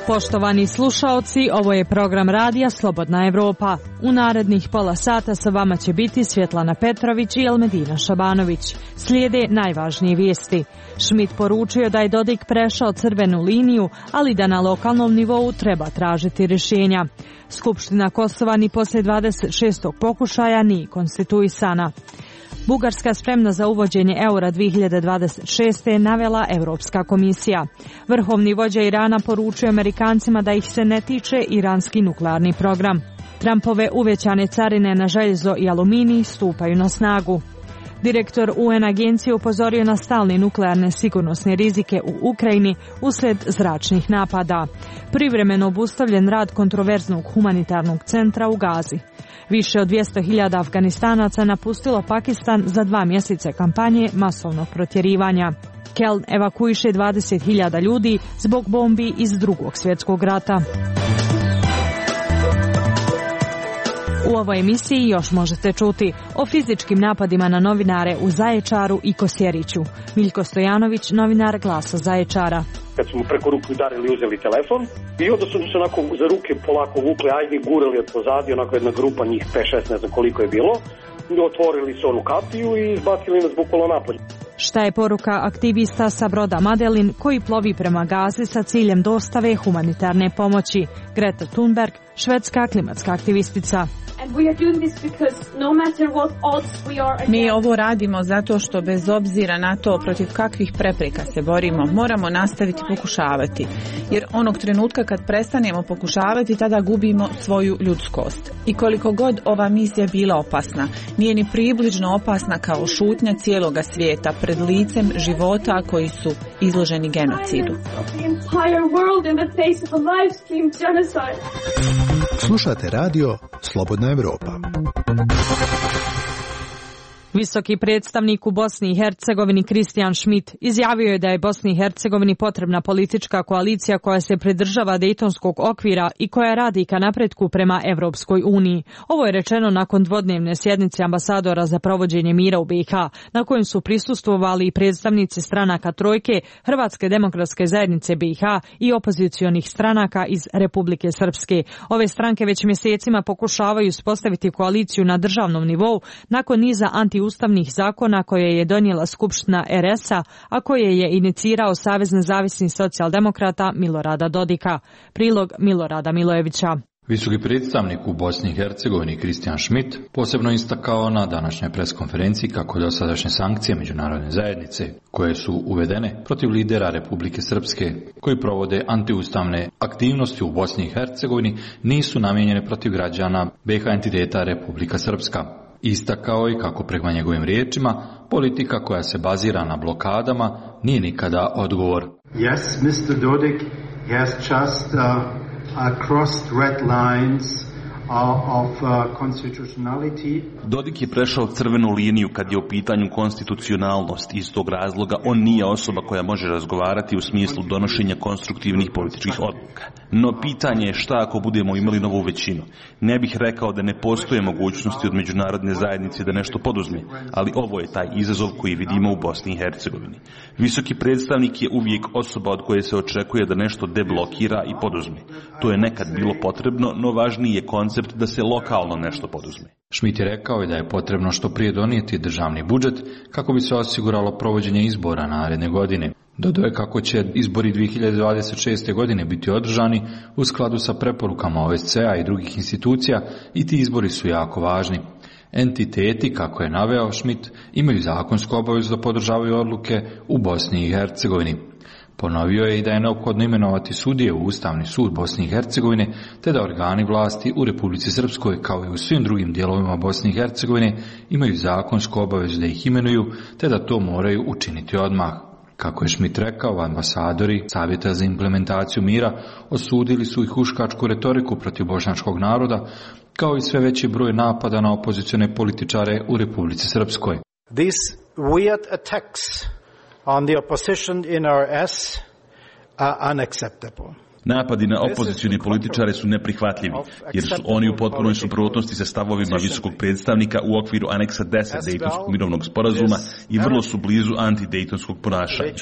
Poštovani slušaoci, ovo je program radija Slobodna Evropa. U narednih pola sata sa vama će biti Svjetlana Petrović i Elmedina Šabanović. Slijede najvažnije vijesti. Schmidt poručio da je Dodik prešao crvenu liniju, ali da na lokalnom nivou treba tražiti rješenja. Skupština Kosova ni poslije 26. pokušaja nije konstituisana. Bugarska spremna za uvođenje eura 2026. navela Europska komisija. Vrhovni vođa Irana poručuje Amerikancima da ih se ne tiče iranski nuklearni program. Trumpove uvećane carine na željezo i aluminij stupaju na snagu. Direktor UN agencije upozorio na stalne nuklearne sigurnosne rizike u Ukrajini uslijed zračnih napada. Privremeno obustavljen rad kontroverznog humanitarnog centra u Gazi. Više od 200.000 Afganistanaca napustilo Pakistan za 2 mjeseca kampanje masovnog protjerivanja. Keln evakuiše 20.000 ljudi zbog bombi iz Drugog svjetskog rata. U ovoj emisiji još možete čuti o fizičkim napadima na novinare u Zaječaru i Kosjeriću. Miljko Stojanović, novinar Glasa Zaječara. Kad su mu preko ruku udarili, uzeli telefon i onda su se onako za ruke polako vukli, ajde gurali od pozadi, onako jedna grupa, njih 5-6, ne znam koliko je bilo. Otvorili su onu kapiju i izbacili nas bukvalno napolje. Šta je poruka aktivista sa broda Madelin koji plovi prema Gazi sa ciljem dostave humanitarne pomoći? Greta Thunberg, švedska klimatska aktivistica. Mi ovo radimo zato što bez obzira na to protiv kakvih prepreka se borimo, moramo nastaviti pokušavati. Jer onog trenutka kad prestanemo pokušavati, tada gubimo svoju ljudskost. I koliko god ova misija bila opasna, nije ni približno opasna kao šutnja cijeloga svijeta pred licem života koji su izloženi genocidu. Slušate radio Slobodna Evropa. Visoki predstavnik u Bosni i Hercegovini Kristijan Schmidt izjavio je da je Bosni i Hercegovini potrebna politička koalicija koja se pridržava Dejtonskog okvira i koja radi ka napretku prema Evropskoj uniji. Ovo je rečeno nakon dvodnevne sjednice ambasadora za provođenje mira u BiH, na kojem su prisustvovali i predstavnici stranaka Trojke, Hrvatske demokratske zajednice BiH i opozicionih stranaka iz Republike Srpske. Ove stranke već mjesecima pokušavaju uspostaviti koaliciju na državnom nivou nakon niza ustavnih zakona koje je donijela Skupština RS-a, a koje je inicirao Savez nezavisnih socijaldemokrata Milorada Dodika. Prilog Milorada Milojevića. Visoki predstavnik u Bosni i Hercegovini Kristijan Schmidt posebno istakao na današnjoj preskonferenciji kako dosadašnje sankcije međunarodne zajednice koje su uvedene protiv lidera Republike Srpske koji provode antiustavne aktivnosti u Bosni i Hercegovini nisu namijenjene protiv građana BiH entiteta Republika Srpska. Istakao i kako prema njegovim riječima politika koja se bazira na blokadama nije nikada odgovor. Yes, Mr. Dodik has just crossed red lines of constitutionality. Dodik je prešao crvenu liniju kad je u pitanju konstitucionalnost. Iz tog razloga on nije osoba koja može razgovarati u smislu donošenja konstruktivnih političkih odluka. No pitanje je šta ako budemo imali novu većinu. Ne bih rekao da ne postoje mogućnosti od međunarodne zajednice da nešto poduzme, ali ovo je taj izazov koji vidimo u Bosni i Hercegovini. Visoki predstavnik je uvijek osoba od koje se očekuje da nešto deblokira i poduzme. To je nekad bilo potrebno, no važniji je koncept da se lokalno nešto poduzme. Schmidt je rekao da je potrebno što prije donijeti državni budžet kako bi se osiguralo provođenje izbora naredne godine. Dodao je kako će izbori 2026. godine biti održani u skladu sa preporukama OSCE-a i drugih institucija i ti izbori su jako važni. Entiteti, kako je naveo Schmidt, imaju zakonsku obavezu da podržavaju odluke u Bosni i Hercegovini. Ponovio je i da je neophodno imenovati sudije u Ustavni sud Bosne i Hercegovine, te da organi vlasti u Republici Srpskoj, kao i u svim drugim dijelovima Bosne i Hercegovine, imaju zakonsku obavezu da ih imenuju, te da to moraju učiniti odmah. Kako je Schmidt rekao, ambasadori Savjeta za implementaciju mira osudili su i huškačku retoriku protiv bošnjačkog naroda, kao i sve veći broj napada na opozicione političare u Republici Srpskoj. These weird attacks on the opposition in RS are unacceptable. Napadi na opozicione političare su neprihvatljivi, jer su oni u potpunoj suprotnosti sa stavovima visokog predstavnika u okviru aneksa 10 Dejtonskog mirovnog sporazuma i vrlo su blizu antidejtonskog ponašanja.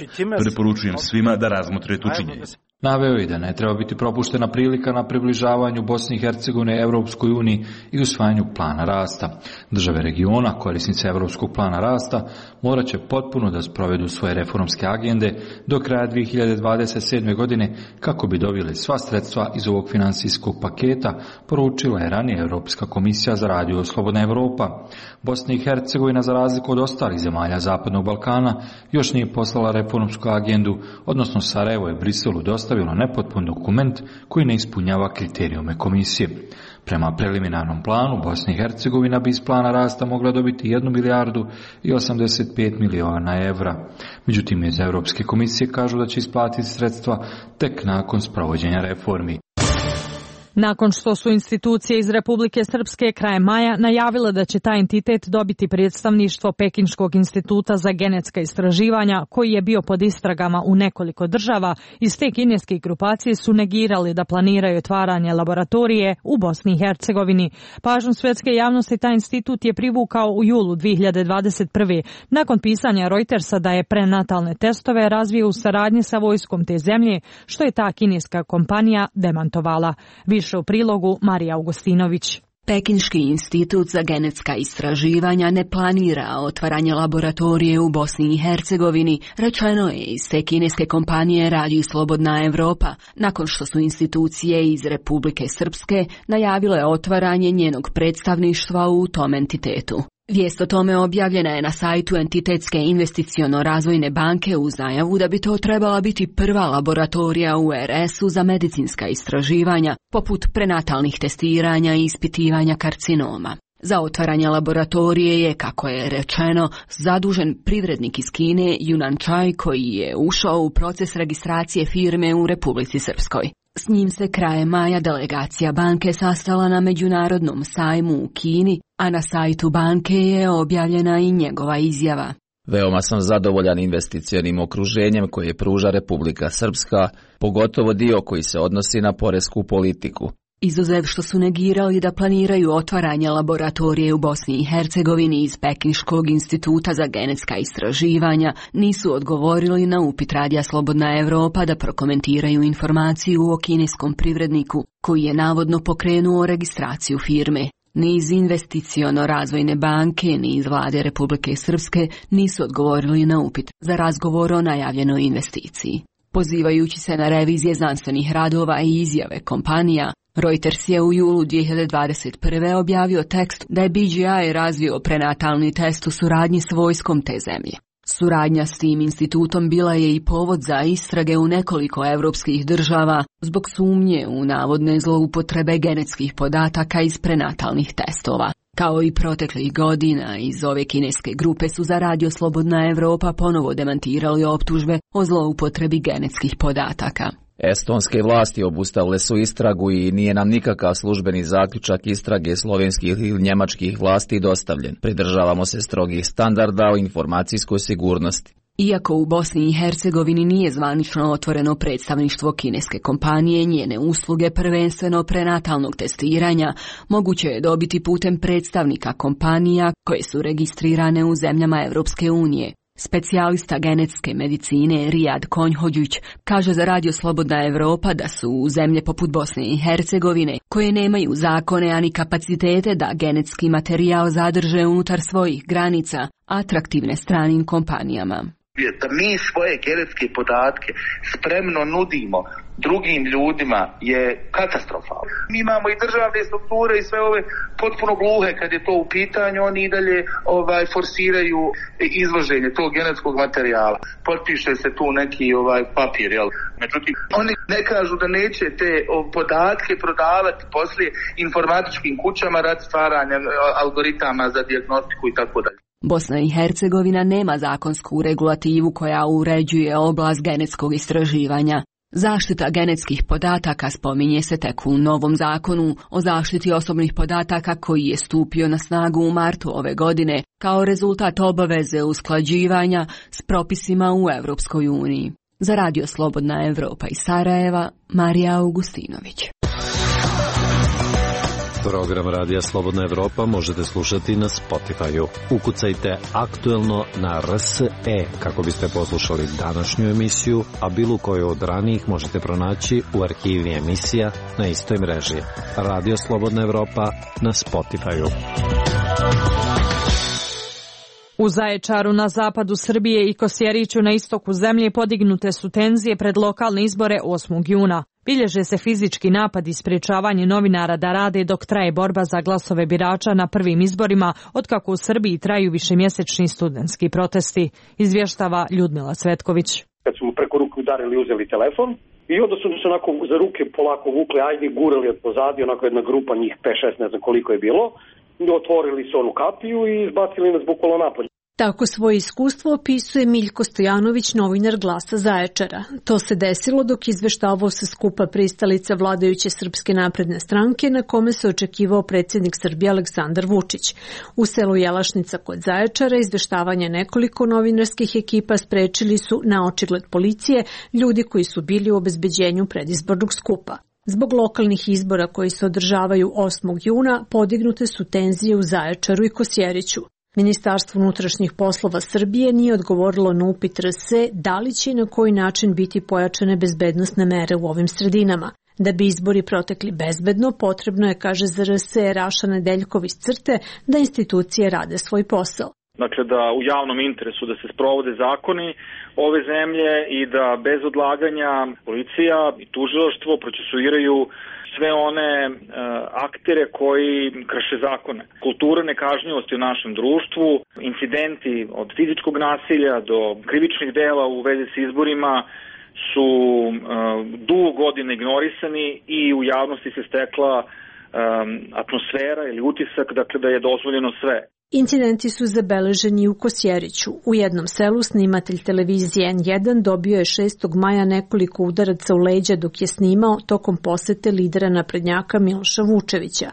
Preporučujem svima da razmotre tu činjenicu. Naveo je da ne treba biti propuštena prilika na približavanju Bosne i Hercegovine Evropskoj uniji i usvajanju plana rasta. Države regiona, korisnice Evropskog plana rasta, morat će potpuno da sprovedu svoje reformske agende do kraja 2027. godine kako bi dobili sva sredstva iz ovog finansijskog paketa, poručila je ranije Europska komisija za radio Slobodna Evropa. Bosna i Hercegovina, za razliku od ostalih zemalja Zapadnog Balkana, još nije poslala reformsku agendu, odnosno Sarajevo je Briselu dostavilo nepotpun dokument koji ne ispunjava kriterijume komisije. Prema preliminarnom planu, Bosna i Hercegovina bi iz plana rasta mogla dobiti 1 milijardu i 85 miliona evra. Međutim, iz Europske komisije kažu da će isplatiti sredstva tek nakon sprovođenja reformi. Nakon što su institucije iz Republike Srpske krajem maja najavile da će taj entitet dobiti predstavništvo Pekinškog instituta za genetska istraživanja, koji je bio pod istragama u nekoliko država, iz te kineske grupacije su negirali da planiraju otvaranje laboratorije u Bosni i Hercegovini. Pažnju svetske javnosti taj institut je privukao u julu 2021. nakon pisanja Reutersa da je prenatalne testove razvio u saradnji sa vojskom te zemlje, što je ta kineska kompanija demantovala. Više u prilogu Marija Augustinović. Pekinški institut za genetska istraživanja ne planira otvaranje laboratorije u Bosni i Hercegovini, rečeno je iz te kineske kompanije Radio Slobodna Evropa, nakon što su institucije iz Republike Srpske najavile otvaranje njenog predstavništva u tom entitetu. Vijest o tome objavljena je na sajtu Entitetske investiciono-razvojne banke uz najavu da bi to trebala biti prva laboratorija u RS-u za medicinska istraživanja, poput prenatalnih testiranja i ispitivanja karcinoma. Za otvaranje laboratorije je, kako je rečeno, zadužen privrednik iz Kine Yunan Chai, koji je ušao u proces registracije firme u Republici Srpskoj. S njim se krajem maja delegacija banke sastala na međunarodnom sajmu u Kini, a na sajtu banke je objavljena i njegova izjava. Veoma sam zadovoljan investicionim okruženjem koje pruža Republika Srpska, pogotovo dio koji se odnosi na poresku politiku. Izuzev što su negirali da planiraju otvaranje laboratorije u Bosni i Hercegovini iz Pekinškog instituta za genetska istraživanja, nisu odgovorili na upit Radija Slobodna Evropa da prokomentiraju informaciju o kineskom privredniku koji je navodno pokrenuo registraciju firme. Ni iz investiciono-razvojne banke, ni iz vlade Republike Srpske nisu odgovorili na upit za razgovor o najavljenoj investiciji. Pozivajući se na revizije znanstvenih radova i izjave kompanija, Reuters je u julu 2021. objavio tekst da je BGI razvio prenatalni test u suradnji s vojskom te zemlje. Suradnja s tim institutom bila je i povod za istrage u nekoliko evropskih država zbog sumnje u navodne zloupotrebe genetskih podataka iz prenatalnih testova. Kao i proteklih godina, iz ove kineske grupe su za Radio Slobodna Evropa ponovo demantirali optužbe o zloupotrebi genetskih podataka. Estonske vlasti obustavile su istragu i nije nam nikakav službeni zaključak istrage slovenskih ili njemačkih vlasti dostavljen. Pridržavamo se strogih standarda o informacijskoj sigurnosti. Iako u Bosni i Hercegovini nije zvanično otvoreno predstavništvo kineske kompanije, njene usluge prvenstveno prenatalnog testiranja moguće je dobiti putem predstavnika kompanija koje su registrirane u zemljama Evropske unije. Specijalista genetske medicine Rijad Konjhođić kaže za Radio Slobodna Evropa da su u zemlje poput Bosne i Hercegovine, koje nemaju zakone ani kapacitete da genetski materijal zadrže unutar svojih granica, atraktivne stranim kompanijama. Da mi svoje genetske podatke spremno nudimo drugim ljudima je katastrofalno. Mi imamo i državne strukture i sve ove potpuno gluhe kad je to u pitanju, oni i dalje forsiraju izvoženje tog genetskog materijala. Potpiše se tu neki papir, jel? Međutim, oni ne kažu da neće te podatke prodavati poslije informatičkim kućama radi stvaranja algoritama za dijagnostiku i tako dalje. Bosna i Hercegovina nema zakonsku regulativu koja uređuje oblast genetskog istraživanja. Zaštita genetskih podataka spominje se tek u novom zakonu o zaštiti osobnih podataka koji je stupio na snagu u martu ove godine kao rezultat obaveze usklađivanja s propisima u Europskoj uniji. Za Radio Slobodna Evropa iz Sarajeva, Marija Augustinović. Program Radija Slobodna Evropa možete slušati na Spotify-u. Ukucajte aktuelno na RSE kako biste poslušali današnju emisiju, a bilo koju od ranijih možete pronaći u arhivi emisija na istoj mreži. Radio Slobodna Evropa na Spotify-u. U Zaječaru na zapadu Srbije i Kosjeriću na istoku zemlje podignute su tenzije pred lokalne izbore 8. juna. Bilježe se fizički napad i sprječavanje novinara da rade dok traje borba za glasove birača na prvim izborima, otkako u Srbiji traju višemjesečni studentski protesti, izvještava Ljudmila Cvetković. Kad su mu preko ruke udarili, uzeli telefon i onda su se onako za ruke polako vukli, ajde, gurali od pozadi, onako jedna grupa, njih 5-6, ne znam koliko je bilo, otvorili su onu kapiju i izbacili nas bukvalno napolje. Tako svoje iskustvo opisuje Miljko Stojanović, novinar Glasa Zaječara. To se desilo dok izveštavao sa skupa pristalica vladajuće Srpske napredne stranke na kome se očekivao predsjednik Srbije Aleksandar Vučić. U selu Jelašnica kod Zaječara izveštavanje nekoliko novinarskih ekipa sprečili su na očigled policije ljudi koji su bili u obezbeđenju predizbornog skupa. Zbog lokalnih izbora koji se održavaju 8. juna podignute su tenzije u Zaječaru i Kosjeriću. Ministarstvo unutrašnjih poslova Srbije nije odgovorilo na upit RSE da li će i na koji način biti pojačane bezbednosne mere u ovim sredinama. Da bi izbori protekli bezbedno, potrebno je, kaže za RSE Raša Nedeljkov iz CRTE, da institucije rade svoj posao. Dakle, da u javnom interesu da se sprovode zakoni ove zemlje i da bez odlaganja policija i tužilaštvo procesuiraju sve one aktere koji krše zakone. Kultura nekažnjivosti u našem društvu, incidenti od fizičkog nasilja do krivičnih dela u vezi s izborima su dugo godina ignorisani i u javnosti se stekla atmosfera ili utisak, dakle, da je dozvoljeno sve. Incidenti su zabeleženi u Kosjeriću. U jednom selu snimatelj televizije N1 dobio je 6. maja nekoliko udaraca u leđa dok je snimao tokom posete lidera naprednjaka Miloša Vučevića.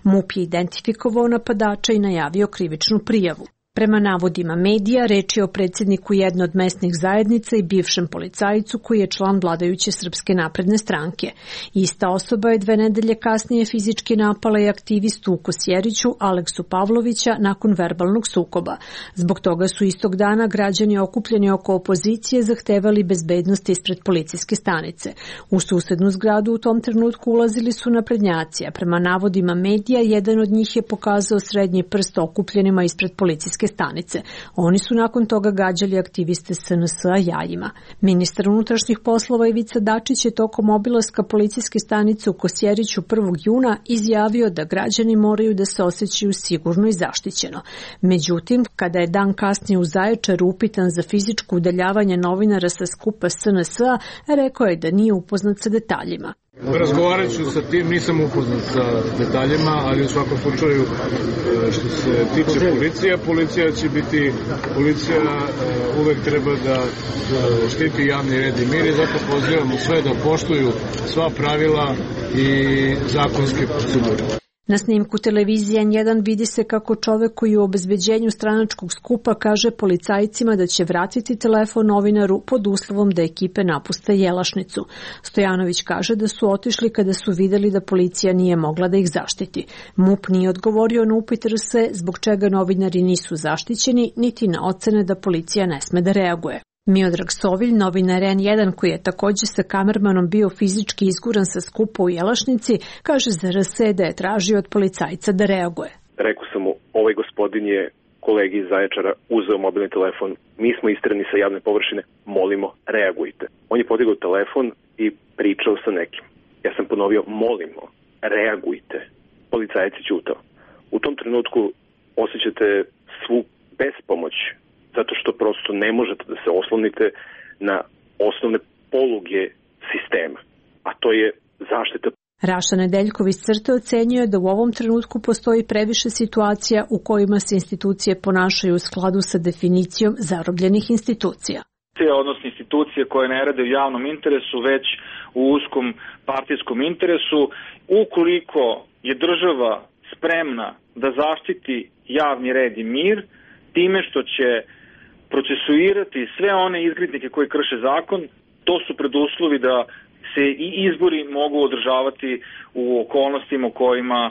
MUP je identifikovao napadača i najavio krivičnu prijavu. Prema navodima medija, reč je o predsjedniku jedne od mesnih zajednica i bivšem policajcu koji je član vladajuće Srpske napredne stranke. Ista osoba je 2 nedelje kasnije fizički napala i aktivistu u Kosjeriću Aleksu Pavlovića nakon verbalnog sukoba. Zbog toga su istog dana građani okupljeni oko opozicije zahtevali bezbednost ispred policijske stanice. U susednu zgradu u tom trenutku ulazili su naprednjaci, a prema navodima medija jedan od njih je pokazao srednji prst okupljenima ispred policijske stanice. Oni su nakon toga gađali aktiviste SNS-a jajima. Ministar unutrašnjih poslova Ivica Dačić je tokom obilaska policijske stanice u Kosjeriću 1. juna izjavio da građani moraju da se osjećaju sigurno i zaštićeno. Međutim, kada je dan kasnije u Zaječaru upitan za fizičko udaljavanje novinara sa skupa SNS-a, rekao je da nije upoznat sa detaljima. Razgovarat ću sa tim, nisam upoznat sa detaljima, ali u svakom slučaju što se tiče policija će biti, policija uvek treba da štiti javni red i mir i zato pozivamo sve da poštuju sva pravila i zakonske procedure. Na snimku televizije N1 vidi se kako čovek koji u obezbeđenju stranačkog skupa kaže policajcima da će vratiti telefon novinaru pod uslovom da ekipe napuste Jelašnicu. Stojanović kaže da su otišli kada su vidjeli da policija nije mogla da ih zaštiti. MUP nije odgovorio na upit RSE zbog čega novinari nisu zaštićeni, niti na ocene da policija ne sme da reaguje. Miodrag Sovilj, novinar N1 koji je također sa kamermanom bio fizički izguran sa skupa u Jelašnici, kaže za RSE da je tražio od policajca da reaguje. Rekao sam mu, ovaj gospodin je kolegi iz Zaječara uzeo mobilni telefon, mi smo istrani sa javne površine, molimo, reagujte. On je podigao telefon i pričao sa nekim. Ja sam ponovio, molimo, reagujte. Policajac je ćutao. U tom trenutku osjećate svu bespomoć, zato što prosto ne možete da se oslonite na osnovne poluge sistema, a to je zaštita. Raša Nedeljkov iz CRTE ocenjuje da u ovom trenutku postoji previše situacija u kojima se institucije ponašaju u skladu sa definicijom zarobljenih institucija. Odnosno institucije koje ne rade u javnom interesu, već u uskom partijskom interesu. Ukoliko je država spremna da zaštiti javni red i mir, time što će procesuirati sve one izgrednike koji krše zakon, To su preduslovi da se i izbori mogu održavati u okolnostima u kojima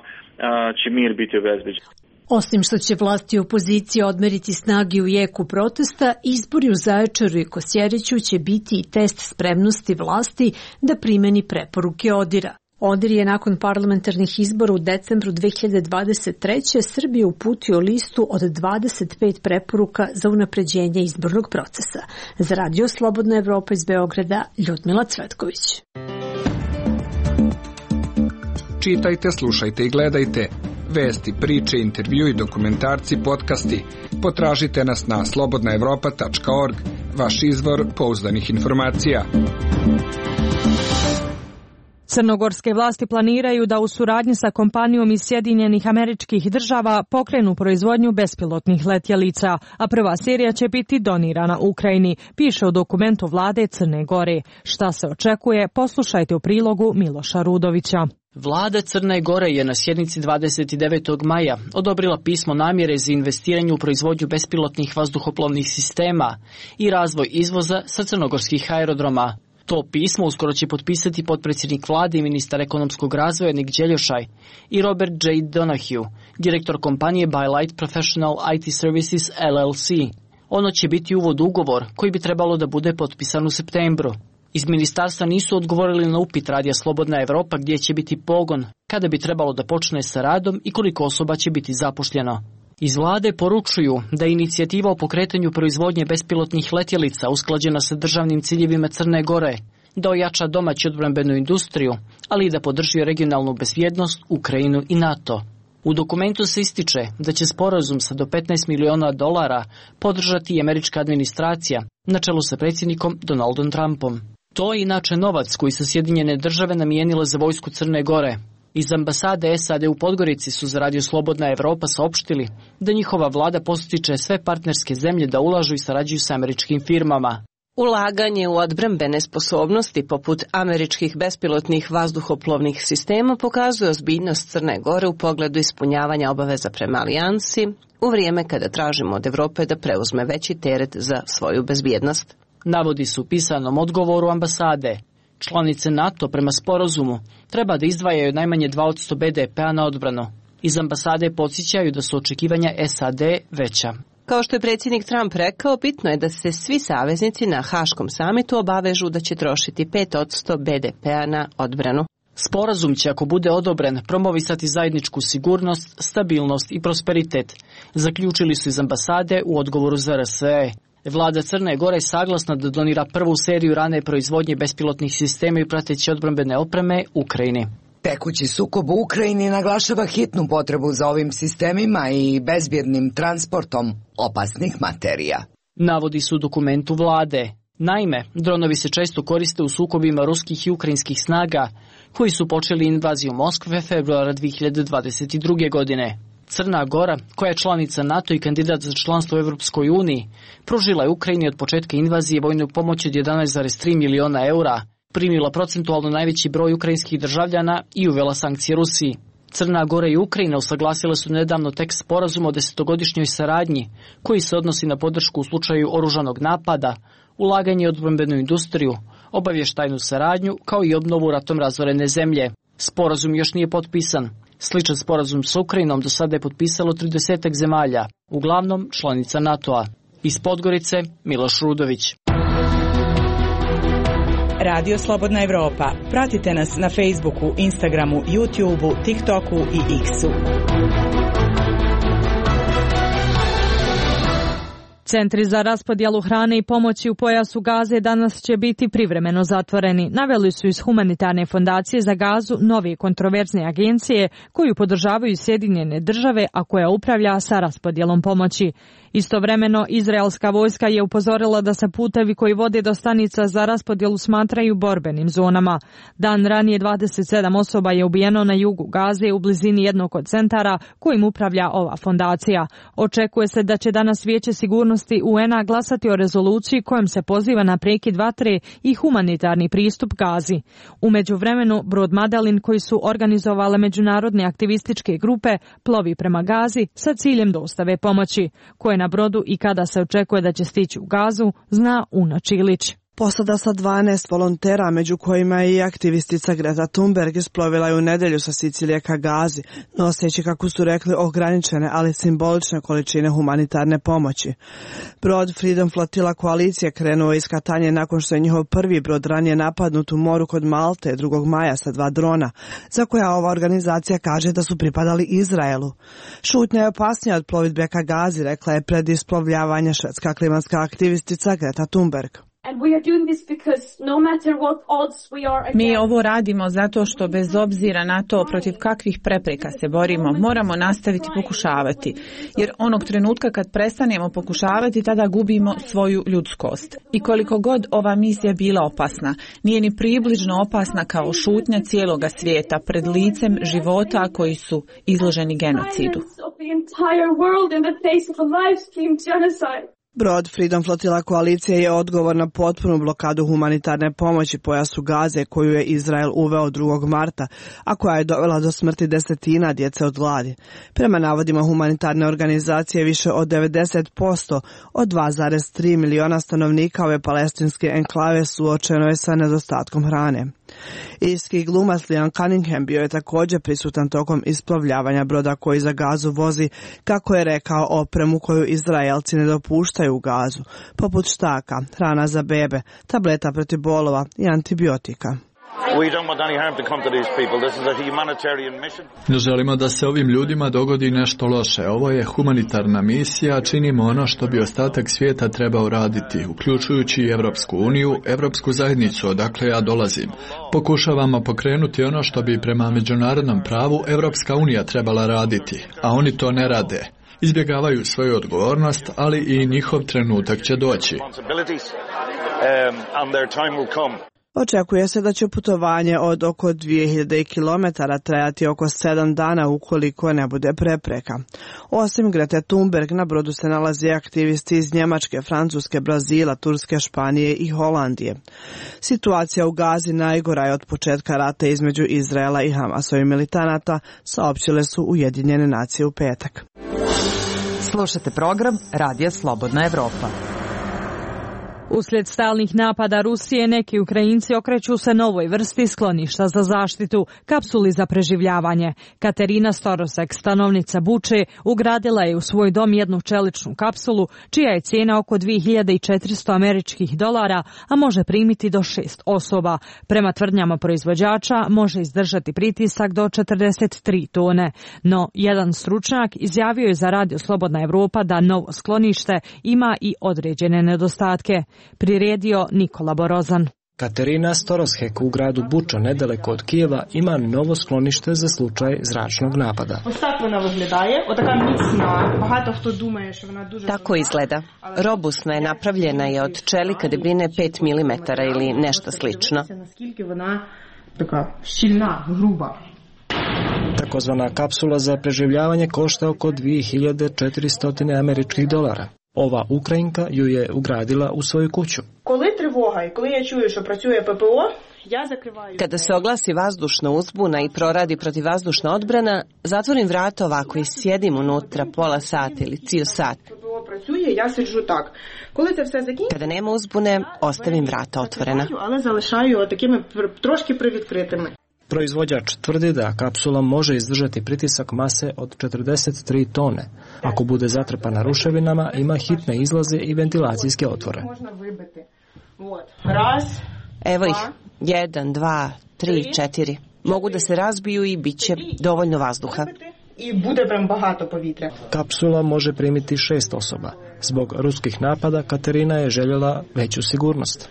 će mir biti obezbeđen. Osim što će vlasti i opozicija odmeriti snage u jeku protesta, izbori u Zaječaru i Kosjeriću će biti i test spremnosti vlasti da primeni preporuke ODIR-a. ODIR je nakon parlamentarnih izbora u decembru 2023. Srbije uputio listu od 25 preporuka za unapređenje izbornog procesa. Za Radio Slobodna Evropa iz Beograda, Ljudmila Cvetković. Čitajte, slušajte i gledajte. Vesti, priče, intervju i dokumentarci, podcasti. Potražite nas na slobodnaevropa.org, vaš izvor pouzdanih informacija. Crnogorske vlasti planiraju da u suradnji sa kompanijom iz Sjedinjenih Američkih Država pokrenu proizvodnju bespilotnih letjelica, a prva serija će biti donirana Ukrajini, piše u dokumentu vlade Crne Gore. Šta se očekuje, poslušajte u prilogu Miloša Rudovića. Vlada Crne Gore je na sjednici 29. maja odobrila pismo namjere za investiranje u proizvodnju bespilotnih vazduhoplovnih sistema i razvoj izvoza sa crnogorskih aerodroma. To pismo uskoro će potpisati potpredsjednik vlade i ministar ekonomskog razvoja Nik Đeljošaj i Robert J. Donahue, direktor kompanije By Light Professional IT Services LLC. Ono će biti uvod u ugovor koji bi trebalo da bude potpisan u septembru. Iz ministarstva nisu odgovorili na upit Radija Slobodna Evropa gdje će biti pogon, kada bi trebalo da počne sa radom i koliko osoba će biti zapošljeno. Iz vlade poručuju da je inicijativa o pokretanju proizvodnje bespilotnih letjelica usklađena sa državnim ciljevima Crne Gore, da ojača domaću odbrambenu industriju, ali i da podrži regionalnu bezbjednost, Ukrajinu i NATO. U dokumentu se ističe da će sporazum sa do $15 miliona podržati i američka administracija, na čelu sa predsjednikom Donaldom Trumpom. To je inače novac koji su Sjedinjene Države namijenile za vojsku Crne Gore. Iz ambasade SAD u Podgorici su za Radio Slobodna Evropa saopštili da njihova vlada postiče sve partnerske zemlje da ulažu i sarađuju sa američkim firmama. Ulaganje u odbrambene sposobnosti poput američkih bespilotnih vazduhoplovnih sistema pokazuje ozbiljnost Crne Gore u pogledu ispunjavanja obaveza prema alijansi u vrijeme kada tražimo od Evrope da preuzme veći teret za svoju bezbjednost. Navodi su u pisanom odgovoru ambasade. Članice NATO prema sporazumu treba da izdvajaju najmanje 2% BDP-a na odbranu. Iz ambasade podsjećaju da su očekivanja SAD veća. Kao što je predsjednik Trump rekao, bitno je da se svi saveznici na Haškom samitu obavežu da će trošiti 5% BDP-a na odbranu. Sporazum će, ako bude odobren, promovisati zajedničku sigurnost, stabilnost i prosperitet, zaključili su iz ambasade u odgovoru za RSE. Vlada Crne Gore je saglasna da donira prvu seriju rane proizvodnje bespilotnih sistema i prateće odbrambene opreme Ukrajini. Tekući sukob u Ukrajini naglašava hitnu potrebu za ovim sistemima i bezbjednim transportom opasnih materija. Navodi su u dokumentu vlade. Naime, dronovi se često koriste u sukobima ruskih i ukrajinskih snaga, koji su počeli invaziju Moskve februara 2022. godine. Crna Gora, koja je članica NATO i kandidat za članstvo u Evropskoj uniji, pružila je Ukrajini od početka invazije vojnu pomoć od 11,3 miliona eura, primila procentualno najveći broj ukrajinskih državljana i uvela sankcije Rusiji. Crna Gora i Ukrajina usaglasile su nedavno tekst sporazuma o 10-godišnjoj saradnji, koji se odnosi na podršku u slučaju oružanog napada, ulaganje u odbrambenu industriju, obavještajnu saradnju, kao i obnovu ratom razorene zemlje. Sporazum još nije potpisan. Sličan sporazum s Ukrajinom do sada je potpisalo 30 zemalja, uglavnom članica NATO-a. Iz Podgorice, Miloš Rudović. Radio Slobodna Evropa. Pratite nas na Facebooku, Instagramu, YouTubeu, TikToku i X-u. Centri za raspodjelu hrane i pomoći u pojasu Gaze danas će biti privremeno zatvoreni. Naveli su iz Humanitarne fondacije za Gazu nove kontroverzne agencije koju podržavaju Sjedinjene Države, a koja upravlja sa raspodjelom pomoći. Istovremeno, izraelska vojska je upozorila da se putevi koji vode do stanica za raspodjelu smatraju borbenim zonama. Dan ranije 27 osoba je ubijeno na jugu Gaze u blizini jednog od centara kojim upravlja ova fondacija. Očekuje se da će danas Vijeće sigurnosti UN-a glasati o rezoluciji kojom se poziva na prekid vatre i humanitarni pristup Gazi. U međuvremenu, brod Madalin koji su organizovale međunarodne aktivističke grupe plovi prema Gazi sa ciljem dostave pomoći, koje na brodu i kada se očekuje da će stići u Gazu, zna Una Čilić. Posada sa 12 volontera, među kojima je i aktivistica Greta Thunberg, isplovila je u nedjelju sa Sicilije ka Gazi, noseći, kako su rekli, ograničene, ali simbolične količine humanitarne pomoći. Brod Freedom Flotilla koalicije krenuo iz Katanje nakon što je njihov prvi brod ranije napadnut u moru kod Malte 2. maja sa 2 drona, za koja ova organizacija kaže da su pripadali Izraelu. Šutnja je opasnija od plovidbe ka Gazi, rekla je pred isplovljavanje švedska klimatska aktivistica Greta Thunberg. Mi ovo radimo zato što bez obzira na to protiv kakvih prepreka se borimo, moramo nastaviti pokušavati. Jer onog trenutka kad prestanemo pokušavati, tada gubimo svoju ljudskost. I koliko god ova misija bila opasna, nije ni približno opasna kao šutnja cijeloga svijeta pred licem života koji su izloženi genocidu. Brod Freedom Flotilla koalicije je odgovor na potpunu blokadu humanitarne pomoći pojasu Gaze koju je Izrael uveo 2. marta, a koja je dovela do smrti desetina djece od gladi. Prema navodima humanitarne organizacije, više od 90% od 2,3 miliona stanovnika ove palestinske enklave suočeno je sa nedostatkom hrane. Irski glumac Liam Cunningham bio je također prisutan tokom isplovljavanja broda koji za Gazu vozi, kako je rekao, opremu koju Izraelci ne dopuštaju u Gazu, poput štaka, hrana za bebe, tableta protiv bolova i antibiotika. Ne želimo da se ovim ljudima dogodi nešto loše. Ovo je humanitarna misija, činimo ono što bi ostatak svijeta trebao raditi, uključujući i Evropsku uniju, Evropsku zajednicu odakle ja dolazim. Pokušavamo pokrenuti ono što bi prema međunarodnom pravu Evropska unija trebala raditi, a oni to ne rade. Izbjegavaju svoju odgovornost, ali i njihov trenutak će doći. Očekuje se da će putovanje od oko 2000 km trajati oko 7 dana ukoliko ne bude prepreka. Osim Grete Thunberg, na brodu se nalaze aktivisti iz Njemačke, Francuske, Brazila, Turske, Španije i Holandije. Situacija u Gazi najgora je od početka rata između Izraela i Hamasovih militanata, saopćile su Ujedinjene nacije u petak. Slušate program Radija Slobodna Evropa. Uslijed stalnih napada Rusije, neki Ukrajinci okreću se novoj vrsti skloništa za zaštitu, kapsuli za preživljavanje. Katerina Storosek, stanovnica Buče, ugradila je u svoj dom jednu čeličnu kapsulu, čija je cijena oko $2.400, a može primiti do 6 osoba. Prema tvrdnjama proizvođača, može izdržati pritisak do 43 tone. No, jedan stručnjak izjavio je za Radio Slobodna Evropa da novo sklonište ima i određene nedostatke. Priredio Nikola Borozan. Katerina Storoshek u gradu Bučo, nedaleko od Kijeva, ima novo sklonište za slučaj zračnog napada. Tako izgleda. Robustna je, napravljena je od čelika debljine 5 mm ili nešto slično. Takozvana kapsula za preživljavanje košta oko $2.400. Ova Ukrajinka ju je ugradila u svoju kuću. Kada se oglasi vazdušna uzbuna i proradi protivvazdušna odbrana, zatvorim vrata ovako i sjedim unutra pola sata ili cijel sat. Kada nema uzbune, ostavim vrata otvorena. Proizvođač tvrdi da kapsula može izdržati pritisak mase od 43 tone. Ako bude zatrpana ruševinama, ima hitne izlaze i ventilacijske otvore. Evo ih, 1, 2, 3, 4. Mogu da se razbiju i bit će dovoljno vazduha. Kapsula može primiti 6 osoba. Zbog ruskih napada Katerina je željela veću sigurnost.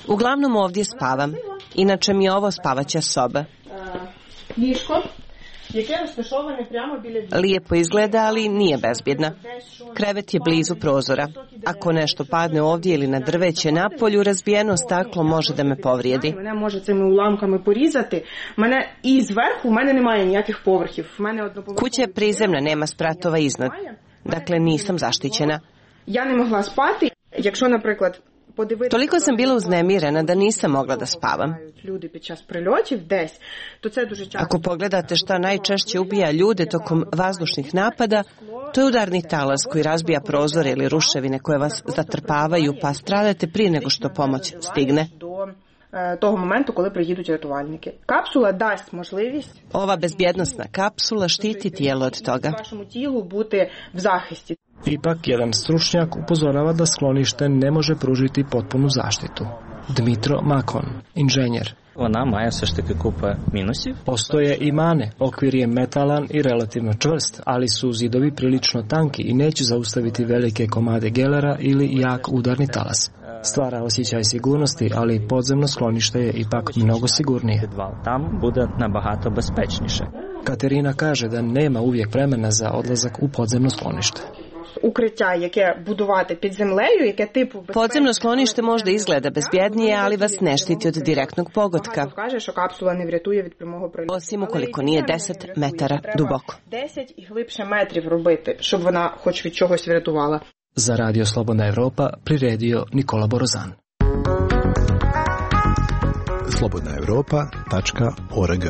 Uglavnom ovdje spavam. Inače mi je ovo spavaća soba. Lijepo izgleda, ali nije bezbjedna. Krevet je blizu prozora. Ako nešto padne ovdje ili na drveće napolju, razbijeno staklo može da me povrijedi. Kuća je prizemna, nema spratova iznad. Dakle, nisam zaštićena. Toliko sam bila uznemirena da nisam mogla da spavam. Ako pogledate šta najčešće ubija ljude tokom vazdušnih napada, To je udarni talas koji razbija prozore ili ruševine koje vas zatrpavaju, pa stradate prije nego što pomoć stigne. Того моменту, коли приїдуть рятувальники. Капсула дасть можливість Ova bezbjednostna kapsula štiti tijelo od toga. Вашому тілу бути в захисті. Ipak, jedan stručnjak upozorava da sklonište ne može pružiti potpunu zaštitu. Dmitro Makon, inženjer. Вона має все ж таки купа мінусів. Postoje i mane, okvir je metalan i relativno čvrst, ali su zidovi prilično tanki i neće zaustaviti velike komade gelera ili jak udarni talas. Stvara osjećaj sigurnosti, ali podzemno sklonište je ipak mnogo sigurnije. Там буде набагато безпечніше. Katerina kaže da nema uvijek vremena za odlazak u podzemno sklonište. Укриття, яке будувати під землею, яке типу Podzemno sklonište možda izgleda bezbjednije, ali vas ne štiti od direktnog pogotka. Каже, що капсула не врятує від прямого прильоту. Osim ukoliko nije 10 metara duboko. 10 і глибше метрів робити, щоб вона хоч від чогось врятувала. Za Radio Slobodna Evropa priredio Nikola Borozan. slobodnaevropa.org.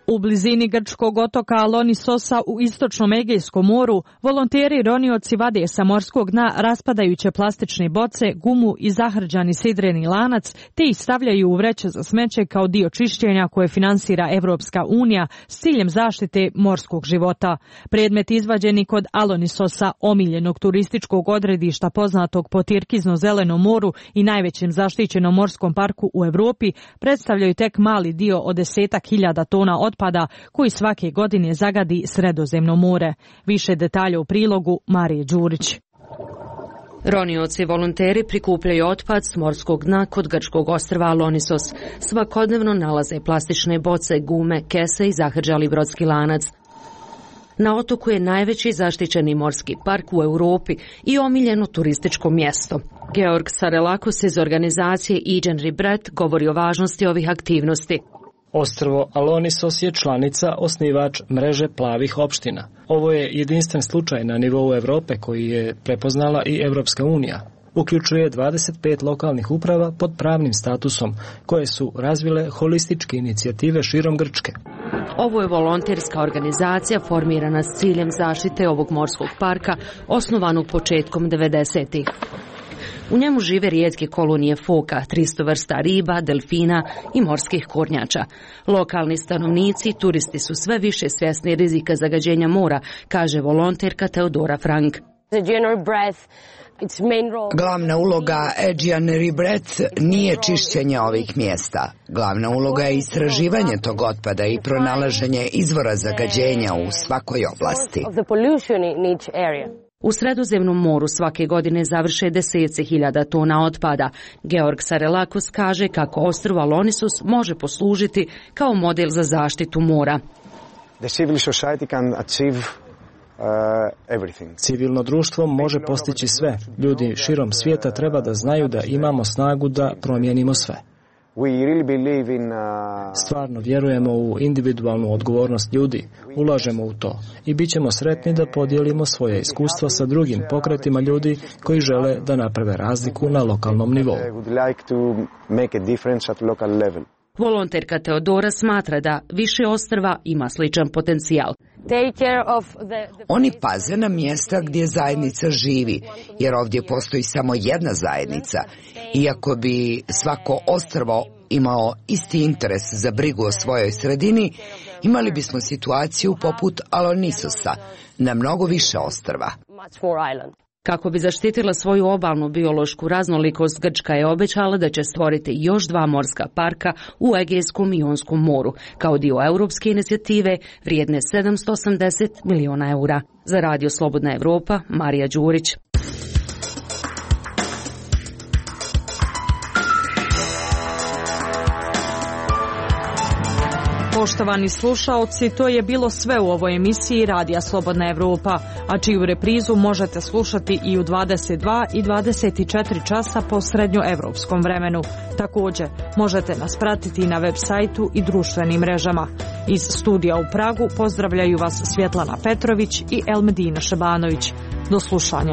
U blizini grčkog otoka Alonisosa u istočnom Egejskom moru, volonteri ronioci vade sa morskog dna raspadajuće plastične boce, gumu i zahrđani sidreni lanac, te ih stavljaju u vreće za smeće kao dio čišćenja koje finansira Evropska unija s ciljem zaštite morskog života. Predmet izvađeni kod Alonisosa, omiljenog turističkog odredišta poznatog po Tirkizno-zelenom moru i najvećem zaštićenom morskom parku u Europi, predstavljaju tek mali dio od 10.000 tona otpada koji svake godine zagadi Sredozemno more. Više detalja u prilogu Marije Đurić. Ronioci volonteri prikupljaju otpad s morskog dna kod grčkog ostrva Alonisos. Svakodnevno nalaze plastične boce, gume, kese i zahrđali brodski lanac. Na otoku je najveći zaštićeni morski park u Europi i omiljeno turističko mjesto. Georg Sarelakos iz organizacije Aegean Rebirth govori o važnosti ovih aktivnosti. Ostrvo Alonisos je članica, osnivač mreže plavih opština. Ovo je jedinstven slučaj na nivou Europe koji je prepoznala i Evropska unija. Uključuje 25 lokalnih uprava pod pravnim statusom, koje su razvile holističke inicijative širom Grčke. Ovo je volonterska organizacija formirana s ciljem zaštite ovog morskog parka, osnovanog početkom 90-ih. U njemu žive rijetke kolonije foka, 300 vrsta riba, delfina i morskih kornjača. Lokalni stanovnici, turisti su sve više svjesni rizika zagađenja mora, kaže volonterka Teodora Frank. Glavna uloga Aegean Rebirth nije čišćenje ovih mjesta. Glavna uloga je istraživanje tog otpada i pronalaženje izvora zagađenja u svakoj oblasti. U Sredozemnom moru svake godine završe deseci hiljada tona otpada. Georg Sarelakos kaže kako ostrvo Alonisos može poslužiti kao model za zaštitu mora. Civilno društvo može postići sve. Ljudi širom svijeta treba da znaju da imamo snagu da promijenimo sve. Stvarno vjerujemo u individualnu odgovornost ljudi, ulažemo u to i bit ćemo sretni da podijelimo svoje iskustva sa drugim pokretima ljudi koji žele da naprave razliku na lokalnom nivou. Volonterka Teodora smatra da više ostrva ima sličan potencijal. Oni paze na mjesta gdje zajednica živi, jer ovdje postoji samo jedna zajednica. Iako bi svako ostrvo imao isti interes za brigu o svojoj sredini, imali bismo situaciju poput Alonisosa na mnogo više ostrva. Kako bi zaštitila svoju obalnu biološku raznolikost, Grčka je obećala da će stvoriti još 2 morska parka u Egejskom i Jonskom moru, kao dio europske inicijative vrijedne 780 miliona eura. Za Radio Slobodna Evropa, Marija Đurić. Poštovani slušaoci, to je bilo sve u ovoj emisiji Radija Slobodna Evropa, a čiju reprizu možete slušati i u 22 i 24 časa po srednjoevropskom vremenu. Također, možete nas pratiti na web sajtu i društvenim mrežama. Iz studija u Pragu pozdravljaju vas Svjetlana Petrović i Elmedina Šabanović. Do slušanja.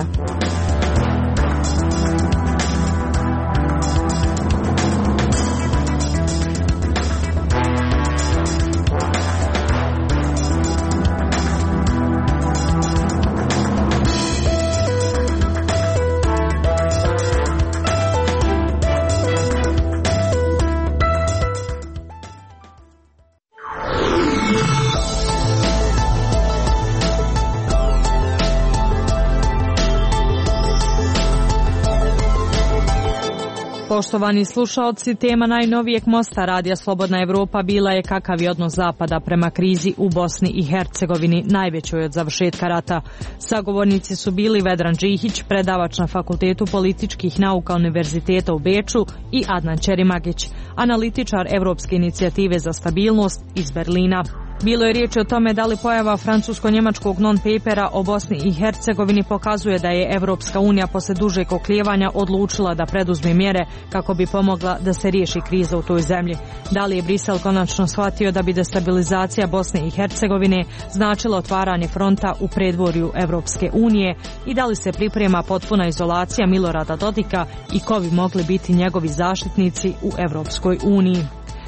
Poštovani slušaoci, tema najnovijeg mosta Radija Slobodna Evropa bila je kakav je odnos Zapada prema krizi u Bosni i Hercegovini, najvećoj od završetka rata. Sagovornici su bili Vedran Džihić, predavač na Fakultetu političkih nauka Univerziteta u Beču, i Adnan Ćerimagić, analitičar Evropske inicijative za stabilnost iz Berlina. Bilo je riječ o tome da li pojava francusko-njemačkog non-papera o Bosni i Hercegovini pokazuje da je Evropska unija posle dužeg oklijevanja odlučila da preduzme mjere kako bi pomogla da se riješi kriza u toj zemlji. Da li je Brisel konačno shvatio da bi destabilizacija Bosne i Hercegovine značila otvaranje fronta u predvorju Evropske unije i da li se priprema potpuna izolacija Milorada Dodika i ko bi mogli biti njegovi zaštitnici u Evropskoj uniji.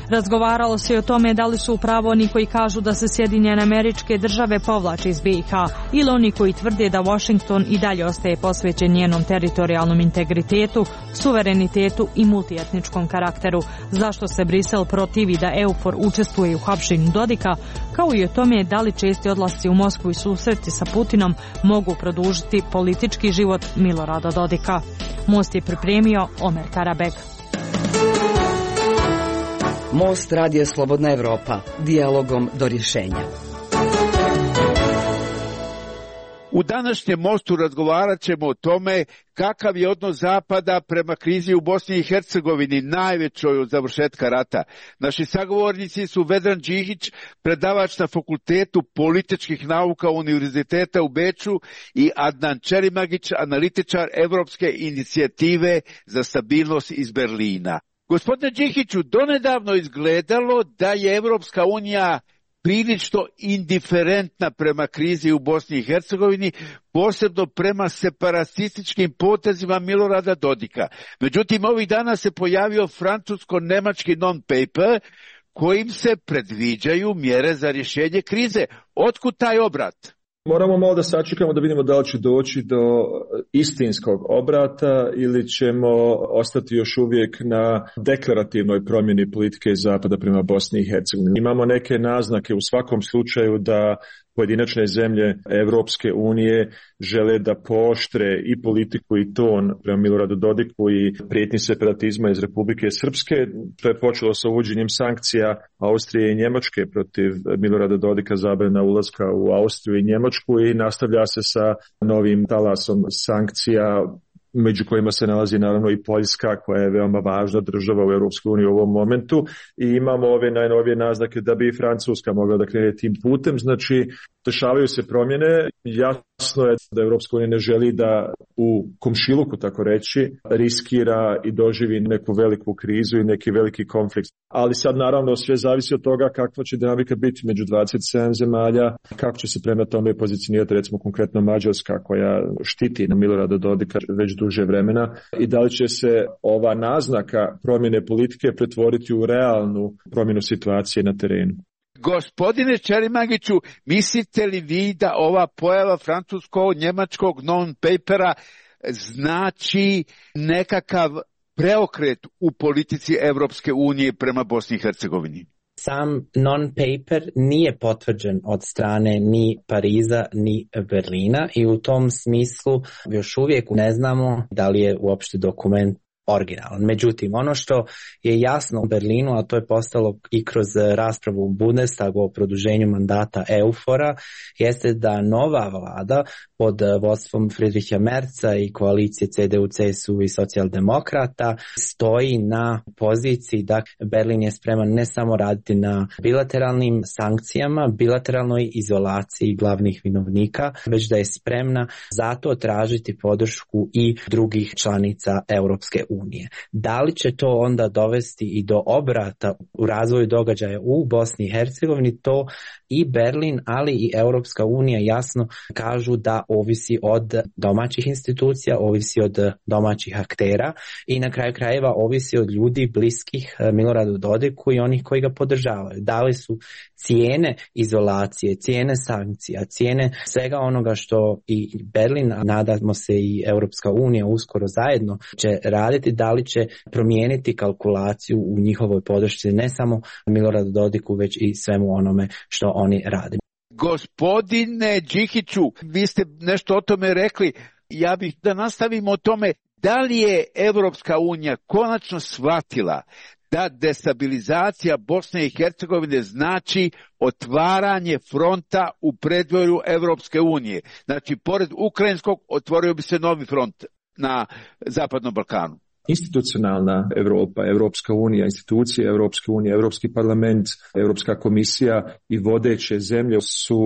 Razgovaralo se i o tome da li su u pravu oni koji kažu da se Sjedinjene Američke Države povlače iz BiH ili oni koji tvrde da Washington i dalje ostaje posvećen njenom teritorijalnom integritetu, suverenitetu i multietničkom karakteru. Zašto se Brisel protivi da EUFOR učestvuje u hapšenju Dodika, kao i o tome da li česti odlasci u Moskvu i susreti sa Putinom mogu produžiti politički život Milorada Dodika. Most je pripremio Omer Karabek. Most Radija Slobodna Evropa, dijalogom do rješenja. U današnjem mostu razgovarat ćemo o tome kakav je odnos Zapada prema krizi u Bosni i Hercegovini, najvećoj od završetka rata. Naši sagovornici su Vedran Džihić, predavač na Fakultetu političkih nauka Univerziteta u Beču, i Adnan Ćerimagić, analitičar Evropske inicijative za stabilnost iz Berlina. Gospodine Džihiću, donedavno izgledalo da je Evropska unija prilično indiferentna prema krizi u Bosni i Hercegovini, posebno prema separatističkim potezima Milorada Dodika. Međutim, ovih dana se pojavio francusko-nemački non-paper kojim se predviđaju mjere za rješenje krize. Otkud taj obrat? Moramo malo da sačekamo da vidimo da li će doći do istinskog obrata ili ćemo ostati još uvijek na deklarativnoj promjeni politike Zapada prema Bosni i Hercegovini. Imamo neke naznake u svakom slučaju da pojedinačne zemlje Evropske unije žele da pooštre i politiku i ton prema Miloradu Dodiku i prijetnji separatizma iz Republike Srpske. To je počelo sa uvođenjem sankcija Austrije i Njemačke protiv Milorada Dodika, zabrana ulaska u Austriju i Njemačku, i nastavlja se sa novim talasom sankcija, među kojima se nalazi naravno i Poljska, koja je veoma važna država u Europskoj uniji u ovom momentu, i imamo ove najnovije naznake da bi i Francuska mogla da krene tim putem. Znači, dešavaju se promjene. Jasno je da Europska unija ne želi da u komšiluku, tako reći, riskira i doživi neku veliku krizu i neki veliki konflikt. Ali sad naravno sve zavisi od toga kakva će dinamika biti među 27 zemalja, kako će se prema tome pozicionirati recimo konkretno Mađarska, koja štiti na Milorada Dodika već duže vremena, i da li će se ova naznaka promjene politike pretvoriti u realnu promjenu situacije na terenu. Gospodine Ćerimagiću, mislite li vi da ova pojava francusko-njemačkog non-papera znači nekakav preokret u politici Evropske unije prema Bosni i Hercegovini? Sam non-paper nije potvrđen od strane ni Pariza ni Berlina i u tom smislu još uvijek ne znamo da li je uopšte dokument originalan. Međutim, ono što je jasno u Berlinu, a to je postalo i kroz raspravu u Bundestagu o produženju mandata EUFOR-a, jeste da nova vlada pod vodstvom Friedricha Merza i koalicije CDU, CSU i socijaldemokrata stoji na poziciji da Berlin je spreman ne samo raditi na bilateralnim sankcijama, bilateralnoj izolaciji glavnih vinovnika, već da je spremna zato tražiti podršku i drugih članica Europske unije. Da li će to onda dovesti i do obrata u razvoju događaja u Bosni i Hercegovini, to i Berlin, ali i Europska unija jasno kažu da ovisi od domaćih institucija, ovisi od domaćih aktera i na kraju krajeva ovisi od ljudi bliskih Miloradu Dodiku i onih koji ga podržavaju. Da li su cijene izolacije, cijene sankcija, cijene svega onoga što i Berlin, a nadamo se i Europska unija uskoro zajedno će raditi, da li će promijeniti kalkulaciju u njihovoj podršci ne samo Miloradu Dodiku, već i svemu onome što oni rade. Gospodine Džihiću, vi ste nešto o tome rekli. Ja bih da nastavimo o tome. Da li je Evropska unija konačno shvatila da destabilizacija Bosne i Hercegovine znači otvaranje fronta u predvorju Evropske unije? Znači, pored ukrajinskog otvorio bi se novi front na Zapadnom Balkanu. Institucionalna Europa, Evropska unija, institucije Evropske unije, Evropski parlament, Evropska komisija i vodeće zemlje su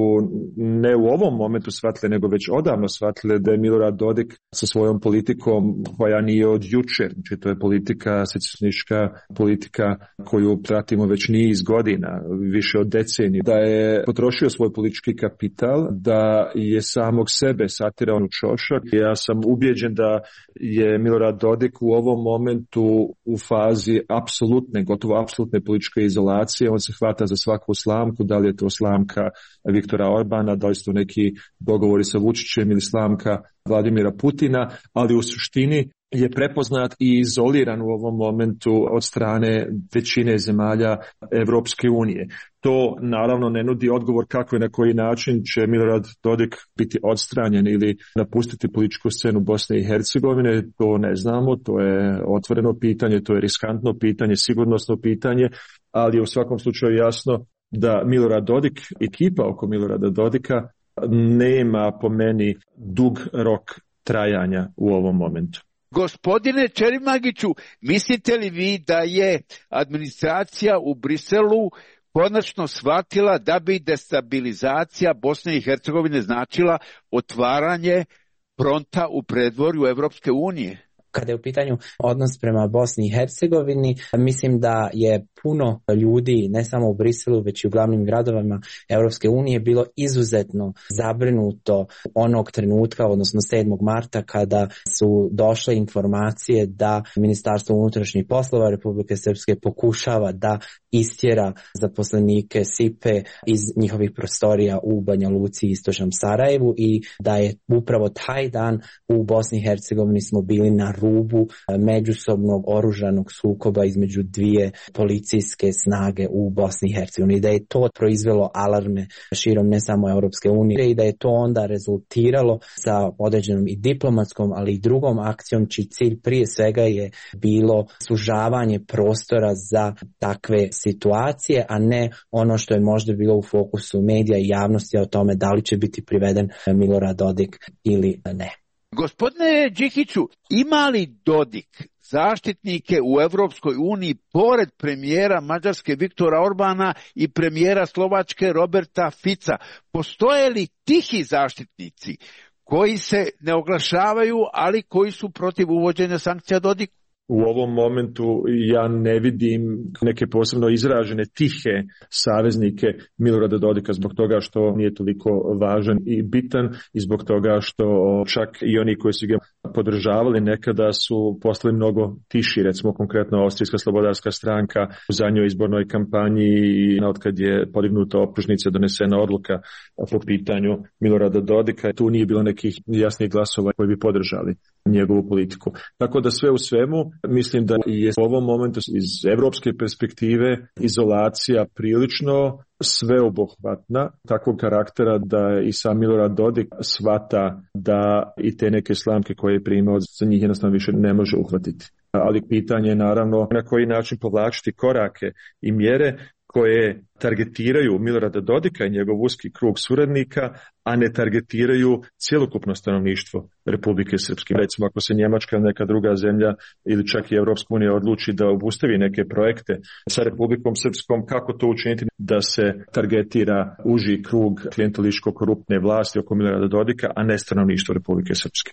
ne u ovom momentu shvatile, nego već odavno shvatile da je Milorad Dodik sa svojom politikom koja nije od jučer, znači to je politika, secesionistička politika koju pratimo već niz godina, više od decenije, da je potrošio svoj politički kapital, da je samog sebe satirao u čošak. Ja sam ubijeđen da je Milorad Dodik u ovom momentu u fazi apsolutne, gotovo apsolutne političke izolacije. On se hvata za svaku slamku, da li je to slamka Viktora Orbana, da li su to neki dogovori sa Vučićem ili slamka Vladimira Putina, ali u suštini je prepoznat i izoliran u ovom momentu od strane većine zemalja Evropske unije. To naravno ne nudi odgovor kako i na koji način će Milorad Dodik biti odstranjen ili napustiti političku scenu Bosne i Hercegovine. To ne znamo, to je otvoreno pitanje, to je riskantno pitanje, sigurnosno pitanje, ali je u svakom slučaju jasno da Milorad Dodik, ekipa oko Milorada Dodika, nema po meni dug rok trajanja u ovom momentu. Gospodine Čerimagiću, mislite li vi da je administracija u Briselu konačno shvatila da bi destabilizacija Bosne i Hercegovine značila otvaranje fronta u predvorju Evropske unije? Kada je u pitanju odnos prema Bosni i Hercegovini, mislim da je puno ljudi, ne samo u Briselu, već i u glavnim gradovima Europske unije, bilo izuzetno zabrinuto onog trenutka, odnosno 7. marta, kada su došle informacije da Ministarstvo unutrašnjih poslova Republike Srpske pokušava da istjera zaposlenike SIPE iz njihovih prostorija u Banja Luci i istočnom Sarajevu i da je upravo taj dan u Bosni i Hercegovini smo bili na rubu međusobnog oružanog sukoba između dvije policijske snage u Bosni i Hercegovini, da je to proizvelo alarme širom ne samo Europske unije i da je to onda rezultiralo sa određenom i diplomatskom, ali i drugom akcijom čiji cilj prije svega je bilo sužavanje prostora za takve situacije, a ne ono što je možda bilo u fokusu medija i javnosti o tome da li će biti priveden Milorad Dodik ili ne. Gospodine Đikiću, ima li Dodik zaštitnike u Evropskoj uniji pored premijera Mađarske Viktora Orbana i premijera Slovačke Roberta Fica? Postoje li tihi zaštitnici koji se ne oglašavaju, ali koji su protiv uvođenja sankcija Dodiku? U ovom momentu ja ne vidim neke posebno izražene tihe saveznike Milorada Dodika zbog toga što nije toliko važan i bitan i zbog toga što čak i oni koji su ga podržavali nekada su postali mnogo tiši, recimo konkretno Austrijska slobodarska stranka u zadnjoj izbornoj kampanji i otkad je podignuta optužnica, donesena odluka po pitanju Milorada Dodika, tu nije bilo nekih jasnih glasova koji bi podržali njegovu politiku. Tako da sve u svemu mislim da je u ovom momentu iz evropske perspektive izolacija prilično sveobuhvatna, takvog karaktera da i sam Milorad Dodik shvata da i te neke slamke koje je primao za njih jednostavno više ne može uhvatiti. Ali pitanje je naravno na koji način povlačiti korake i mjere koje targetiraju Milorada Dodika i njegov uski krug suradnika, a ne targetiraju cjelokupno stanovništvo Republike Srpske. Recimo, ako se Njemačka ili neka druga zemlja ili čak i Evropska unija odluči da obustavi neke projekte sa Republikom Srpskom, kako to učiniti da se targetira uži krug klijentelističko-koruptne vlasti oko Milorada Dodika, a ne stanovništvo Republike Srpske.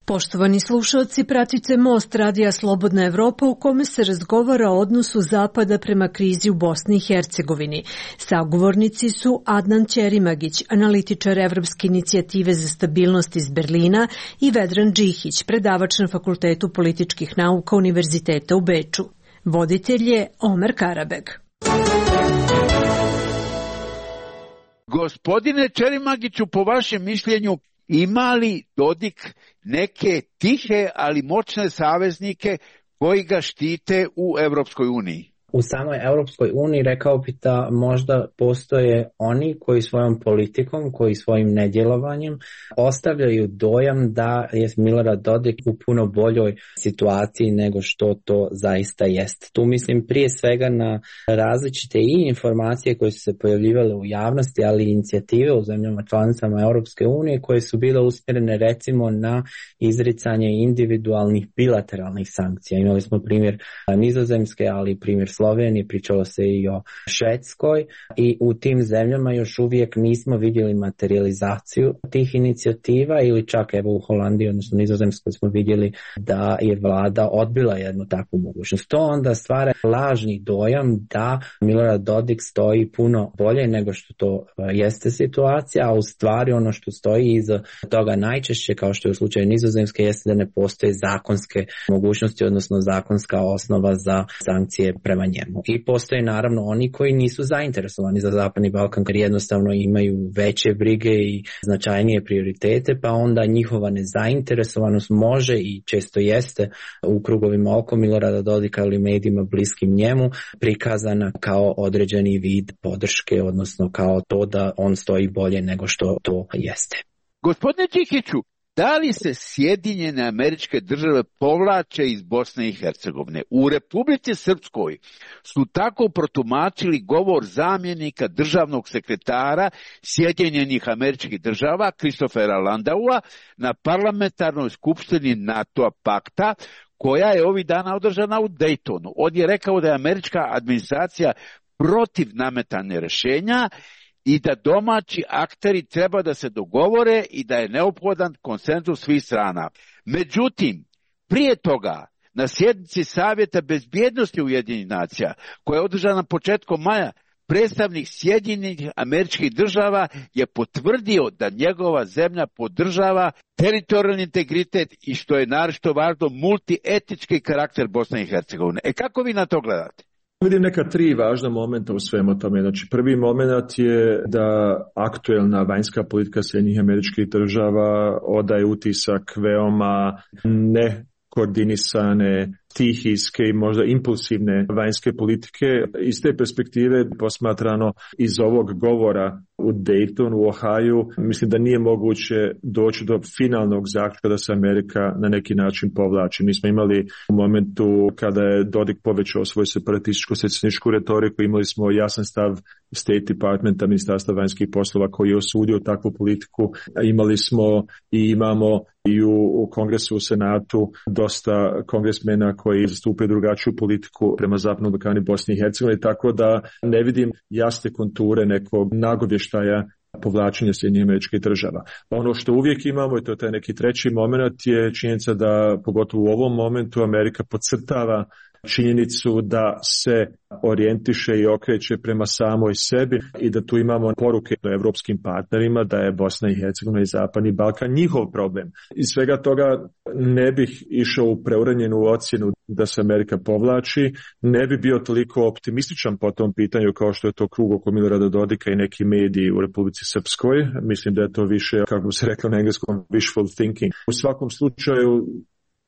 Poštovani slušalci, pratite Most radija Slobodna Evropa u kome se razgovara o odnosu Zapada prema krizi u Bosni i Hercegovini. Sagovornici su Adnan Ćerimagić, analitičar Evropske inicijative za stabilnost iz Berlina, i Vedran Džihić, predavač na Fakultetu političkih nauka Univerziteta u Beču. Voditelj je Omer Karabeg. Gospodine Ćerimagiću, po vašem mišljenju, ima li Dodik neke tihe, ali moćne saveznike koji ga štite u Evropskoj uniji? U samoj Europskoj uniji rekao bi da možda postoje oni koji svojom politikom, koji svojim nedjelovanjem ostavljaju dojam da je Milorad Dodik u puno boljoj situaciji nego što to zaista jest. Tu mislim prije svega na različite i informacije koje su se pojavljivale u javnosti, ali i inicijative u zemljama članicama Europske unije koje su bile usmjerene recimo na izricanje individualnih bilateralnih sankcija. Imali smo primjer Nizozemske, ali i primjer Slovenije, pričalo se i o Švedskoj i u tim zemljama još uvijek nismo vidjeli materializaciju tih inicijativa ili čak evo u Holandiji, odnosno Nizozemskoj smo vidjeli da je vlada odbila jednu takvu mogućnost. To onda stvara lažni dojam da Milorad Dodik stoji puno bolje nego što to jeste situacija, a u stvari ono što stoji iza toga najčešće, kao što je u slučaju Nizozemske, jeste da ne postoje zakonske mogućnosti, odnosno zakonska osnova za sankcije prema njemu. I postoje naravno oni koji nisu zainteresovani za Zapadni Balkan, jer jednostavno imaju veće brige i značajnije prioritete, pa onda njihova nezainteresovanost može i često jeste u krugovima oko Milorada Dodika ili medijima bliskim njemu prikazana kao određeni vid podrške, odnosno kao to da on stoji bolje nego što to jeste. Gospodine Čikiću, da li se Sjedinjene Američke Države povlače iz Bosne i Hercegovine? U Republici Srpskoj su tako protumačili govor zamjenika državnog sekretara Sjedinjenih Američkih Država Christophera Landaua na parlamentarnoj skupštini NATO pakta koja je ovih dana održana u Daytonu. On je rekao da je američka administracija protiv nametanja rješenja i da domaći akteri treba da se dogovore i da je neophodan konsenzus svih strana. Međutim, prije toga, na sjednici Savjeta bezbjednosti Ujedinjenih nacija, koja je održana početkom maja, predstavnik Sjedinjenih Američkih Država je potvrdio da njegova zemlja podržava teritorijalni integritet i, što je naročito važno, multietnički karakter Bosne i Hercegovine. Kako vi na to gledate? Vidim neka tri važna momenta u svemu tome. Znači, prvi moment je da aktuelna vanjska politika Sjedinjenih Američkih Država odaje utisak veoma nekoordinisane, stihijske i možda impulsivne vanjske politike. Iz te perspektive posmatrano iz ovog govora u Daytonu, u Ohaju, mislim da nije moguće doći do finalnog zaključka da se Amerika na neki način povlači. Mi smo imali u momentu kada je Dodik povećao svoju separatističko-secesionističku retoriku, imali smo jasan stav State Departmenta, Ministarstva vanjskih poslova, koji je osudio takvu politiku. Imali smo i imamo i u Kongresu, u Senatu dosta kongresmena koji zastupaju drugačiju politiku prema Zapadnom Balkanu i Bosni i Hercegovini, tako da ne vidim jasne konture nekog nagovještaja povlačenja Sjedinjenih Američkih Država. Ono što uvijek imamo, i to je taj neki treći moment, je činjenica da pogotovo u ovom momentu Amerika podcrtava činjenicu da se orijentiše i okreće prema samoj sebi i da tu imamo poruke evropskim partnerima da je Bosna i Hercegovina i Zapadni Balkan njihov problem. Iz svega toga ne bih išao u preuranjenu ocjenu da se Amerika povlači, ne bi bio toliko optimističan po tom pitanju kao što je to krug oko Milorada Dodika i neki mediji u Republici Srpskoj. Mislim da je to više, kako bi se reklo na engleskom, wishful thinking. U svakom slučaju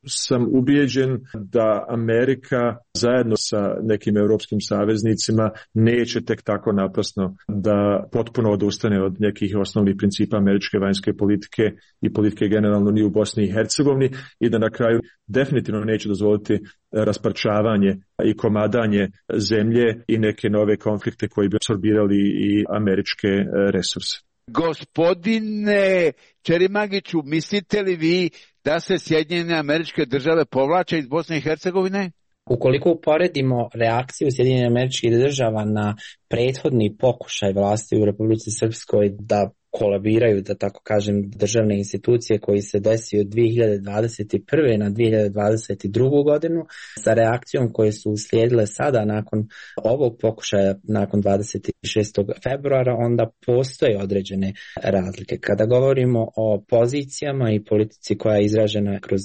sam ubijeđen da Amerika zajedno sa nekim europskim saveznicima neće tek tako naprasno da potpuno odustane od nekih osnovnih principa američke vanjske politike i politike generalno ni u Bosni i Hercegovini i da na kraju definitivno neće dozvoliti rasparčavanje i komadanje zemlje i neke nove konflikte koji bi apsorbirali i američke resurse. Gospodine Čerimagiću, mislite li vi da se Sjedinjene Američke Države povlače iz Bosne i Hercegovine? Ukoliko uporedimo reakciju Sjedinjenih Američkih Država na prethodni pokušaj vlasti u Republici Srpskoj da kolabiraju, da tako kažem, državne institucije koji se desio od 2021. na 2022. godinu sa reakcijom koje su uslijedile sada nakon ovog pokušaja, nakon 26. februara, onda postoje određene razlike. Kada govorimo o pozicijama i politici koja je izražena kroz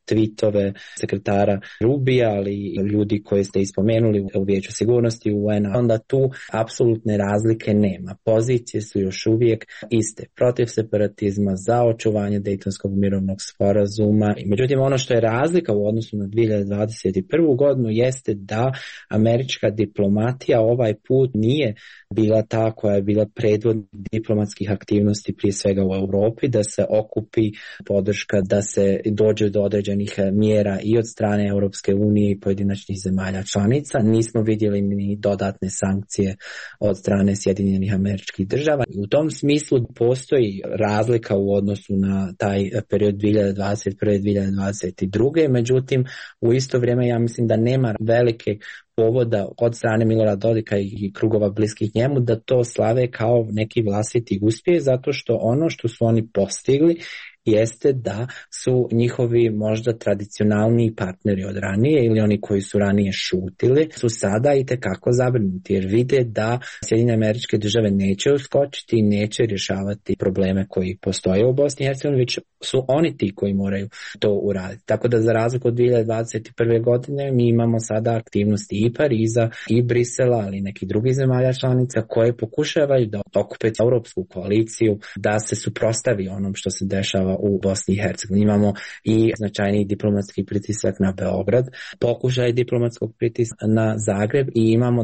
tweetove sekretara Rubija, ali i ljudi koje ste ispomenuli u Vijeću sigurnosti UN-a, onda tu apsolutne razlike nema. Pozicije su još uvijek iste, protiv separatizma, za očuvanje Dejtonskog mirovnog sporazuma. Međutim, ono što je razlika u odnosu na 2021. godinu jeste da američka diplomatija ovaj put nije bila ta koja je bila predvodnik diplomatskih aktivnosti prije svega u Europi, da se okupi podrška, da se dođe do određenih mjera i od strane Europske unije i pojedinačnih zemalja članica. Nismo vidjeli ni dodatne sankcije od strane Sjedinjenih Američkih Država. U tom smislu postoji razlika u odnosu na taj period 2021-2022. Međutim, u isto vrijeme ja mislim da nema velike povoda od strane Milorada Dodika i krugova bliskih njemu da to slave kao neki vlastiti uspjeh, zato što ono što su oni postigli jeste da su njihovi možda tradicionalni partneri od ranije ili oni koji su ranije šutili su sada itekako zabrinuti jer vide da Sjedinjene Američke Države neće uskočiti i neće rješavati probleme koji postoje u Bosni i Hercegovini, već su oni ti koji moraju to uraditi. Tako da za razliku od 2021. godine mi imamo sada aktivnosti i Pariza i Brisela, ali i neki drugi zemalja članica koje pokušavaju da okupe europsku koaliciju, da se suprotstavi onom što se dešava u Bosni i Hercegovini. Imamo i značajni diplomatski pritisak na Beograd, pokušaj diplomatskog pritiska na Zagreb i imamo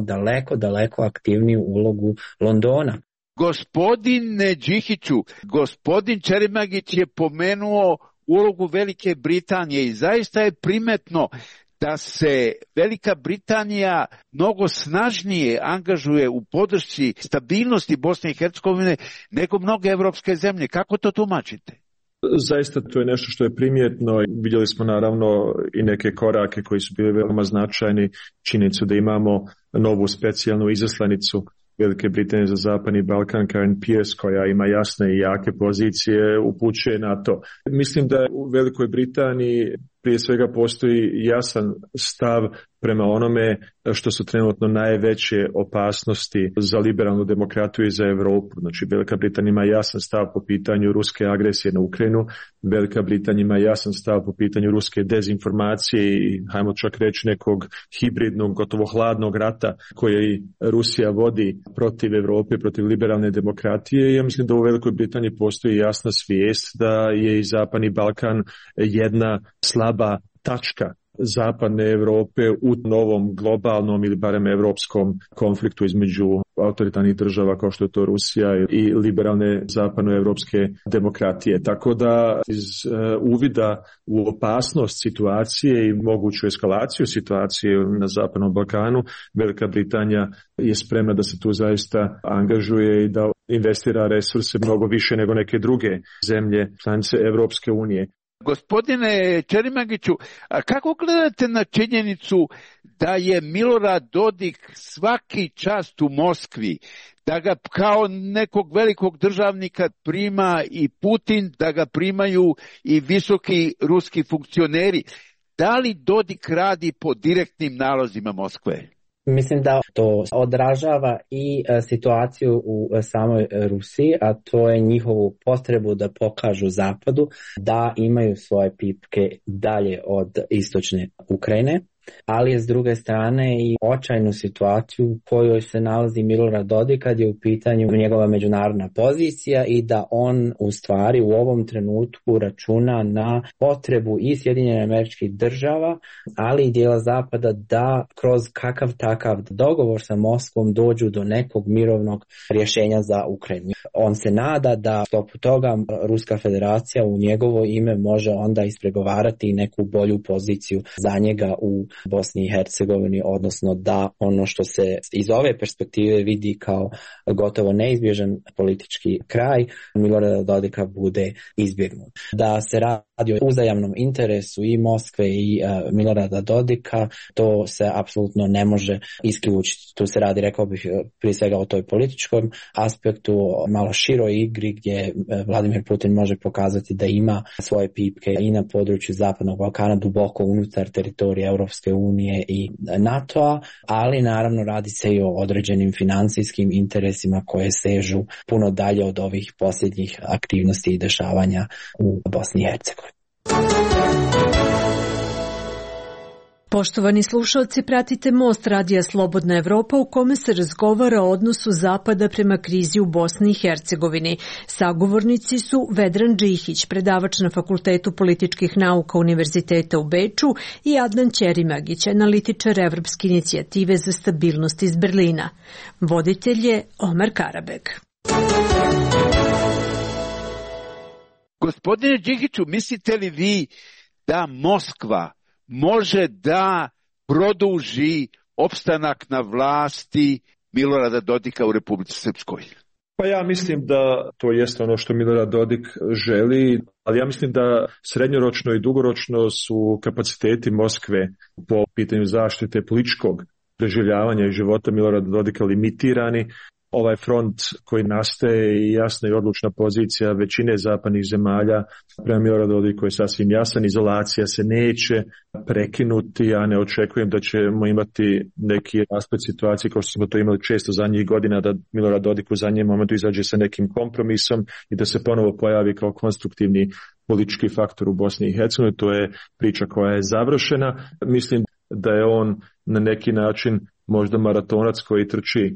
daleko aktivniju ulogu Londona. Gospodine Đihiću, gospodin Čerimagić je pomenuo ulogu Velike Britanije i zaista je primetno da se Velika Britanija mnogo snažnije angažuje u podršci stabilnosti Bosne i Hercegovine nego mnoge evropske zemlje. Kako to tumačite? Zaista to je nešto što je primjetno. Vidjeli smo naravno i neke korake koji su bili veoma značajni. Činjenicu da imamo novu specijalnu izaslanicu Velike Britanije za Zapadni Balkan, Karen Pierce, koja ima jasne i jake pozicije, upućuje na to. Mislim da u Velikoj Britaniji prije svega postoji jasan stav prema onome što su trenutno najveće opasnosti za liberalnu demokratiju i za Europu. Znači, Velika Britanija ima jasan stav po pitanju ruske agresije na Ukrajinu, Velika Britanija ima jasan stav po pitanju ruske dezinformacije i, hajmo čak reći, nekog hibridnog, gotovo hladnog rata koji Rusija vodi protiv Europe, protiv liberalne demokratije. I ja mislim da u Velikoj Britaniji postoji jasna svijest da je i Zapadni Balkan jedna slaba tačka Zapadne Europe u novom globalnom ili barem europskom konfliktu između autoritarnih država kao što je to Rusija i liberalne zapadnoevropske demokratije. Tako da iz uvida u opasnost situacije i moguću eskalaciju situacije na Zapadnom Balkanu, Velika Britanija je spremna da se tu zaista angažuje i da investira resurse mnogo više nego neke druge zemlje članice Evropske unije. Gospodine Čerimagiću, a kako gledate na činjenicu da je Milorad Dodik svaki čas u Moskvi, da ga kao nekog velikog državnika prima i Putin, da ga primaju i visoki ruski funkcioneri? Da li Dodik radi po direktnim nalozima Moskve? Mislim da to odražava i situaciju u samoj Rusiji, a to je njihovu potrebu da pokažu Zapadu da imaju svoje pipke dalje od istočne Ukrajine, ali je s druge strane i očajnu situaciju u kojoj se nalazi Milorad Dodik kad je u pitanju njegova međunarodna pozicija i da on u stvari u ovom trenutku računa na potrebu i Sjedinjenih Američkih Država, ali i dijela Zapada da kroz kakav takav dogovor sa Moskvom dođu do nekog mirovnog rješenja za Ukrajinu. On se nada da stopu toga Ruska federacija u njegovo ime može onda ispregovarati neku bolju poziciju za njega u Bosni i Hercegovini, odnosno da ono što se iz ove perspektive vidi kao gotovo neizbježan politički kraj Milorada Dodika bude izbjegnut. Da se radi o uzajamnom interesu i Moskve i Milorada Dodika, to se apsolutno ne može isključiti. Tu se radi, rekao bih, prije svega o toj političkom aspektu, malo široj igri gdje Vladimir Putin može pokazati da ima svoje pipke i na području Zapadnog Balkana, duboko unutar teritorija Europske unije i NATO-a, ali naravno radi se i o određenim financijskim interesima koje sežu puno dalje od ovih posljednjih aktivnosti i dešavanja u Bosni i Hercegovini. Poštovani slušalci, pratite Most radija Slobodna Evropa u kome se razgovara o odnosu Zapada prema krizi u Bosni i Hercegovini. Sagovornici su Vedran Džihić, predavač na Fakultetu političkih nauka Univerziteta u Beču, i Adnan Ćerimagić, analitičar Evropske inicijative za stabilnost iz Berlina. Voditelj je Omer Karabeg. Gospodine Džihiću, mislite li vi da Moskva može da produži opstanak na vlasti Milorada Dodika u Republici Srpskoj? Pa ja mislim da to jeste ono što Milorad Dodik želi, ali ja mislim da srednjoročno i dugoročno su kapaciteti Moskve po pitanju zaštite političkog preživljavanja i života Milorada Dodika limitirani. Ovaj front koji nastaje i jasna i odlučna pozicija većine zapadnih zemalja prema Miloradu Dodiku je sasvim jasan. Izolacija se neće prekinuti, ja ne očekujem da ćemo imati neki rasplet situacije kao što smo to imali često zadnjih godina, da Milorad Dodik u zadnjem momentu izađe sa nekim kompromisom i da se ponovo pojavi kao konstruktivni politički faktor u Bosni i Hercegovini. To je priča koja je završena. Mislim da je on na neki način možda maratonac koji trči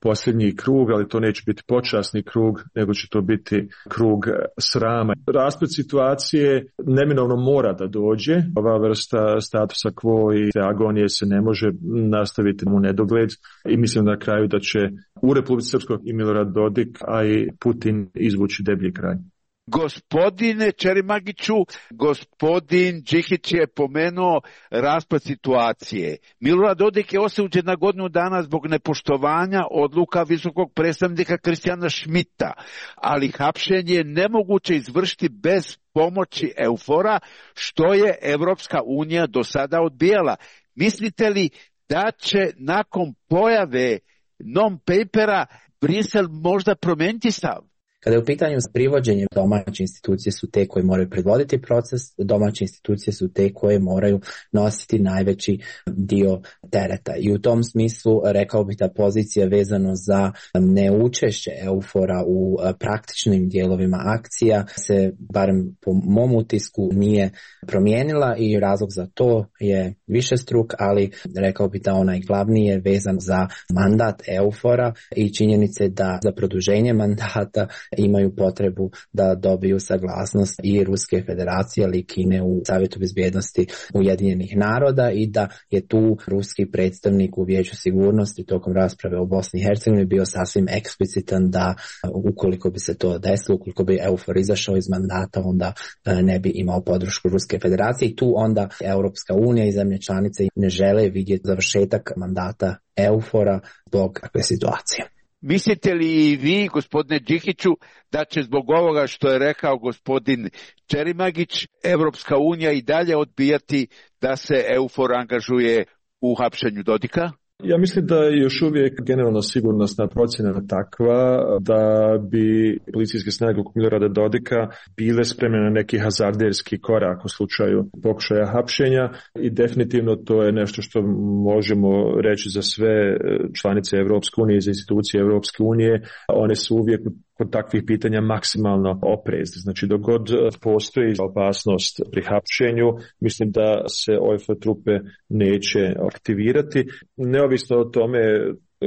posljednji krug, ali to neće biti počasni krug, nego će to biti krug srama. Rasplet situacije neminovno mora da dođe. Ova vrsta statusa quo i agonije se ne može nastaviti u nedogled i mislim na kraju da će u Republici Srpskoj i Milorad Dodik, a i Putin izvući deblji kraj. Gospodine Ćerimagiću, gospodin Džihić je pomenuo raspad situacije. Milorad Dodik je osuđen na godinu dana zbog nepoštovanja odluka visokog predstavnika Kristijana Šmita, ali hapšenje je nemoguće izvršiti bez pomoći EUFOR-a, što je Evropska unija do sada odbijala. Mislite li da će nakon pojave non-papera Brisel možda promijeniti stav? Kada je u pitanju privođenje, domaće institucije su te koje moraju predvoditi proces, domaće institucije su te koje moraju nositi najveći dio tereta. I u tom smislu rekao bih da pozicija vezano za neučešće EUFOR-a u praktičnim dijelovima akcija se, barem po mom utisku, nije promijenila i razlog za to je višestruk, ali rekao bih da onaj glavni je vezan za mandat EUFOR-a i činjenice da za produženje mandata imaju potrebu da dobiju saglasnost i Ruske federacije, ali i Kine u Savjetu bezbjednosti Ujedinjenih naroda i da je tu ruski predstavnik u Vijeću sigurnosti tokom rasprave o Bosni i Hercegovini bio sasvim eksplicitan da ukoliko bi se to desilo, ukoliko bi EUFOR izašao iz mandata, onda ne bi imao podršku Ruske federacije i tu onda Europska unija i zemlje članice ne žele vidjeti završetak mandata EUFOR-a zbog takve situacije. Mislite li i vi, gospodine Džihiću, da će zbog ovoga što je rekao gospodin Ćerimagić, Evropska unija i dalje odbijati da se EUFOR angažuje u hapšenju Dodika? Ja mislim da je još uvijek generalno sigurnosna procjena takva da bi policijske snage oko Milorada Dodika bile spremne na neki hazarderski korak u slučaju pokušaja hapšenja i definitivno to je nešto što možemo reći za sve članice Evropske unije i za institucije Evropske unije. One su uvijek kod takvih pitanja maksimalno oprezni. Znači, dok god postoji opasnost pri hapšenju, mislim da se OFA trupe neće aktivirati. Neovisno o tome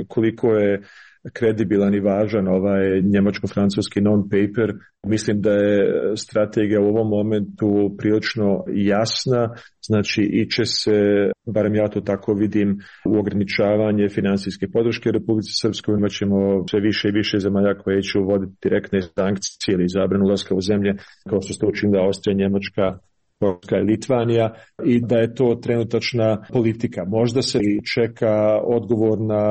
koliko je kredibilan i važan ovaj njemačko-francuski non-paper, mislim da je strategija u ovom momentu prilično jasna, znači iće se, barem ja to tako vidim, u ograničavanje financijske podrške Republici Srpskoj. Imat ćemo sve više i više zemalja koje će uvoditi direktne sankcije ili zabranu ulaska u zemlje, kao što ste učinila Austrija, Njemačka, Poljska i Litvanija, i da je to trenutačna politika. Možda se čeka odgovor na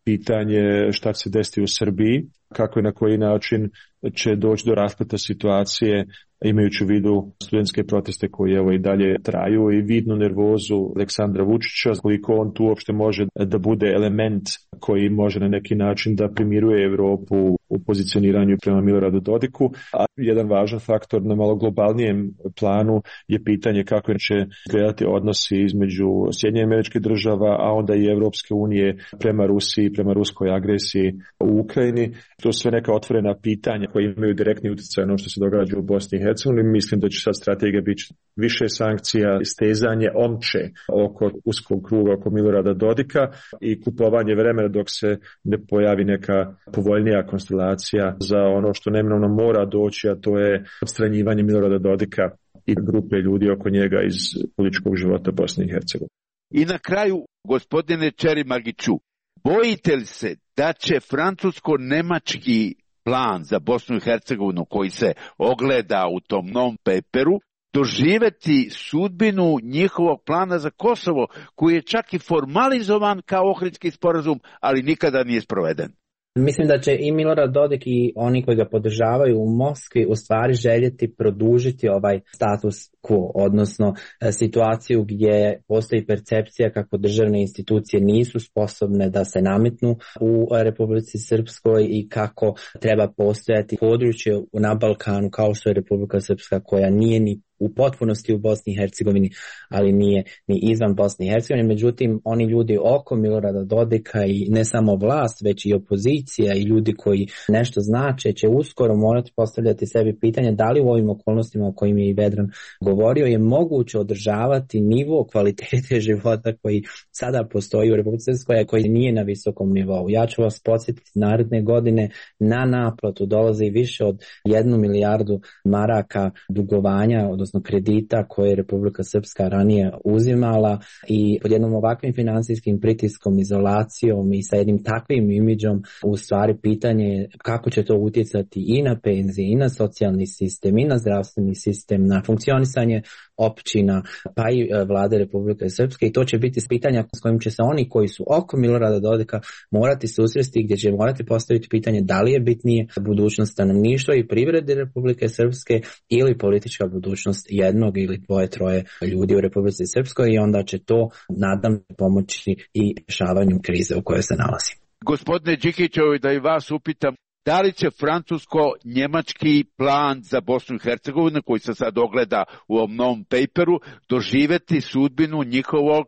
pitanje šta će se desiti u Srbiji, kako i na koji način će doći do raspleta situacije, imajući u vidu studentske proteste koji evo i dalje traju i vidnu nervozu Aleksandra Vučića, koliko on tu uopšte može da bude element koji može na neki način da primiruje Evropu u pozicioniranju prema Miloradu Dodiku, a jedan važan faktor na malo globalnijem planu je pitanje kako će izgledati odnosi između Sjedinjenih Američkih Država, a onda i Europske unije prema Rusiji, prema ruskoj agresiji u Ukrajini. To su sve neka otvorena pitanja koje imaju direktni utjecaj na ono što se događa u Bosni i Hercegovini. Mislim da će sad strategija biti više sankcija, stezanje omče oko uskog kruga oko Milorada Dodika i kupovanje vremena dok se ne pojavi neka povoljnija konstelacija za ono što neminovno mora doći, a to je odstranjivanje Milorada Dodika i grupe ljudi oko njega iz političkog života Bosne i Hercegovine. I na kraju, gospodine Čerimagiću, bojite li se da će francusko-nemački plan za Bosnu i Hercegovinu koji se ogleda u tom non-paperu doživjeti sudbinu njihovog plana za Kosovo, koji je čak i formalizovan kao Ohridski sporazum, ali nikada nije sproveden? Mislim da će i Milorad Dodik i oni koji ga podržavaju u Moskvi u stvari željeti produžiti ovaj status quo, odnosno situaciju gdje postoji percepcija kako državne institucije nisu sposobne da se nametnu u Republici Srpskoj i kako treba postojati područje na Balkanu kao što je Republika Srpska, koja nije ni u potpunosti u Bosni i Hercegovini, ali nije ni izvan Bosne i Hercegovine. Međutim, oni ljudi oko Milorada Dodika i ne samo vlast, već i opozicija i ljudi koji nešto znače će uskoro morati postavljati sebi pitanje da li u ovim okolnostima o kojim je i Vedran govorio je moguće održavati nivo kvalitete života koji sada postoji u Republici Srpskoj, koji nije na visokom nivou. Ja ću vas podsjetiti, naredne godine na naplatu dolazi više od 1 milijardu maraka dugovanja, odnosno kredita koje je Republika Srpska ranije uzimala, i pod jednom ovakvim financijskim pritiskom, izolacijom i sa jednim takvim imidžom u stvari pitanje je kako će to utjecati i na penzije, i na socijalni sistem, i na zdravstveni sistem, na funkcionisanje općina, pa i vlade Republike Srpske, i to će biti pitanja s kojim će se oni koji su oko Milorada Dodika morati susresti, gdje će morati postaviti pitanje da li je bitnije budućnost stanovništva i privrede Republike Srpske ili politička budućnost jednog ili dvoje, troje ljudi u Republici Srpskoj, i onda će to, nadam, pomoći i rješavanju krize u kojoj se nalazi. Gospodine Đikiću, da i vas upitam, da li će francusko-njemački plan za Bosnu i Hercegovinu, koji se sad ogleda u ovom novom paperu, doživjeti sudbinu njihovog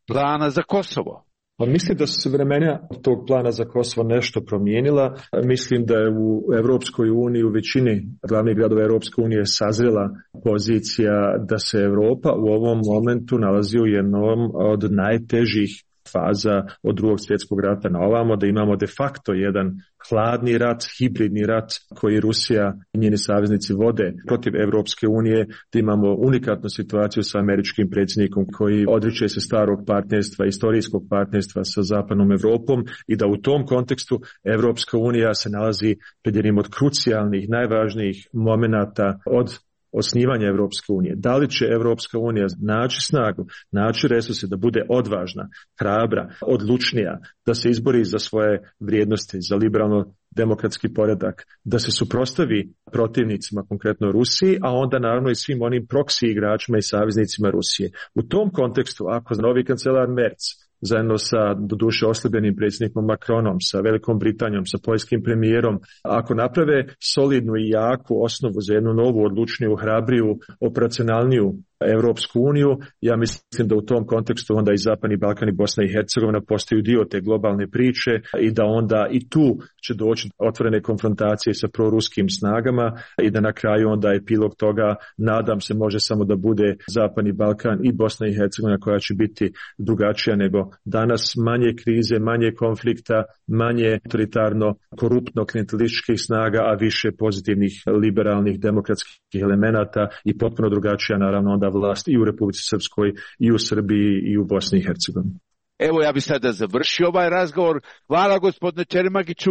plana za Kosovo? Pa mislim da su se vremena tog plana za Kosovo nešto promijenila. Mislim da je u Europskoj uniji, u većini glavnih gradova Europske unije sazrela pozicija da se Europa u ovom momentu nalazi u jednom od najtežih faza od Drugog svjetskog rata na ovamo, da imamo de facto jedan hladni rat, hibridni rat koji Rusija i njeni saveznici vode protiv Europske unije, da imamo unikatnu situaciju sa američkim predsjednikom koji odriče se starog partnerstva, istorijskog partnerstva sa zapadnom Europom, i da u tom kontekstu Europska unija se nalazi pred jednim od krucijalnih, najvažnijih momenata od osnivanja Europske unije. Da li će Europska unija naći snagu, naći resurse da bude odvažna, hrabra, odlučnija, da se izbori za svoje vrijednosti, za liberalno demokratski poredak, da se suprotstavi protivnicima, konkretno Rusiji, a onda naravno i svim onim proksi igračima i saveznicima Rusije. U tom kontekstu, ako novi kancelar Merz zajedno sa doduše oslabljenim predsjednikom Macronom, sa Velikom Britanijom, sa poljskim premijerom, ako naprave solidnu i jaku osnovu za jednu novu, odlučniju, hrabriju, operacionalniju Europsku uniju, ja mislim da u tom kontekstu onda i Zapadni Balkan i Bosna i Hercegovina postaju dio te globalne priče, i da onda i tu će doći otvorene konfrontacije sa proruskim snagama, i da na kraju onda epilog toga, nadam se, može samo da bude Zapadni Balkan i Bosna i Hercegovina, koja će biti drugačija nego danas, manje krize, manje konflikta, manje autoritarno, koruptno, klijentelističkih snaga, a više pozitivnih, liberalnih, demokratskih elemenata, i potpuno drugačija naravno onda vlast i u Republici Srpskoj, i u Srbiji, i u Bosni i Hercegovini. Evo, ja bih sada završio ovaj razgovor. Hvala gospodine Čerimagiću.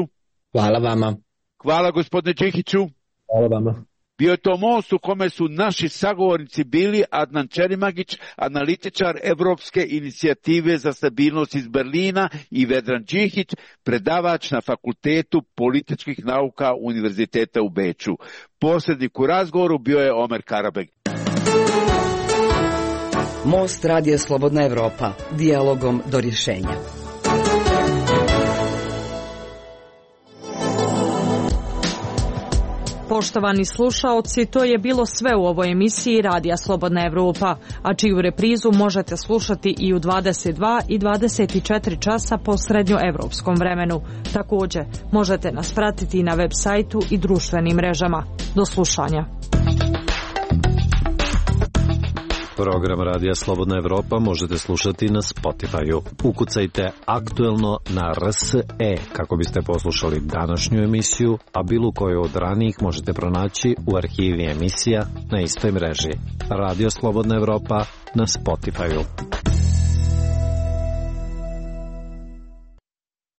Hvala vama. Hvala gospodine Đikiću. Hvala vama. Bio je to most u kome su naši sagovornici bili Adnan Čerimagić, analitičar Evropske inicijative za stabilnost iz Berlina, i Vedran Đikić, predavač na Fakultetu političkih nauka Univerziteta u Beču. Posrednik u razgovoru bio je Omer Karabeg. Most radija Slobodna Evropa, dijalogom do rješenja. Poštovani slušaoci, to je bilo sve u ovoj emisiji Radija Slobodna Evropa, a čiju reprizu možete slušati i u 22 i 24 časa po srednjoevropskom vremenu. Također, možete nas pratiti na web sajtu i društvenim mrežama. Do slušanja. Program Radija Slobodna Evropa možete slušati na Spotify-u. Ukucajte aktuelno na RSE kako biste poslušali današnju emisiju, a bilo koju od ranijih možete pronaći u arhivi emisija na istoj mreži. Radio Slobodna Evropa na Spotify-u.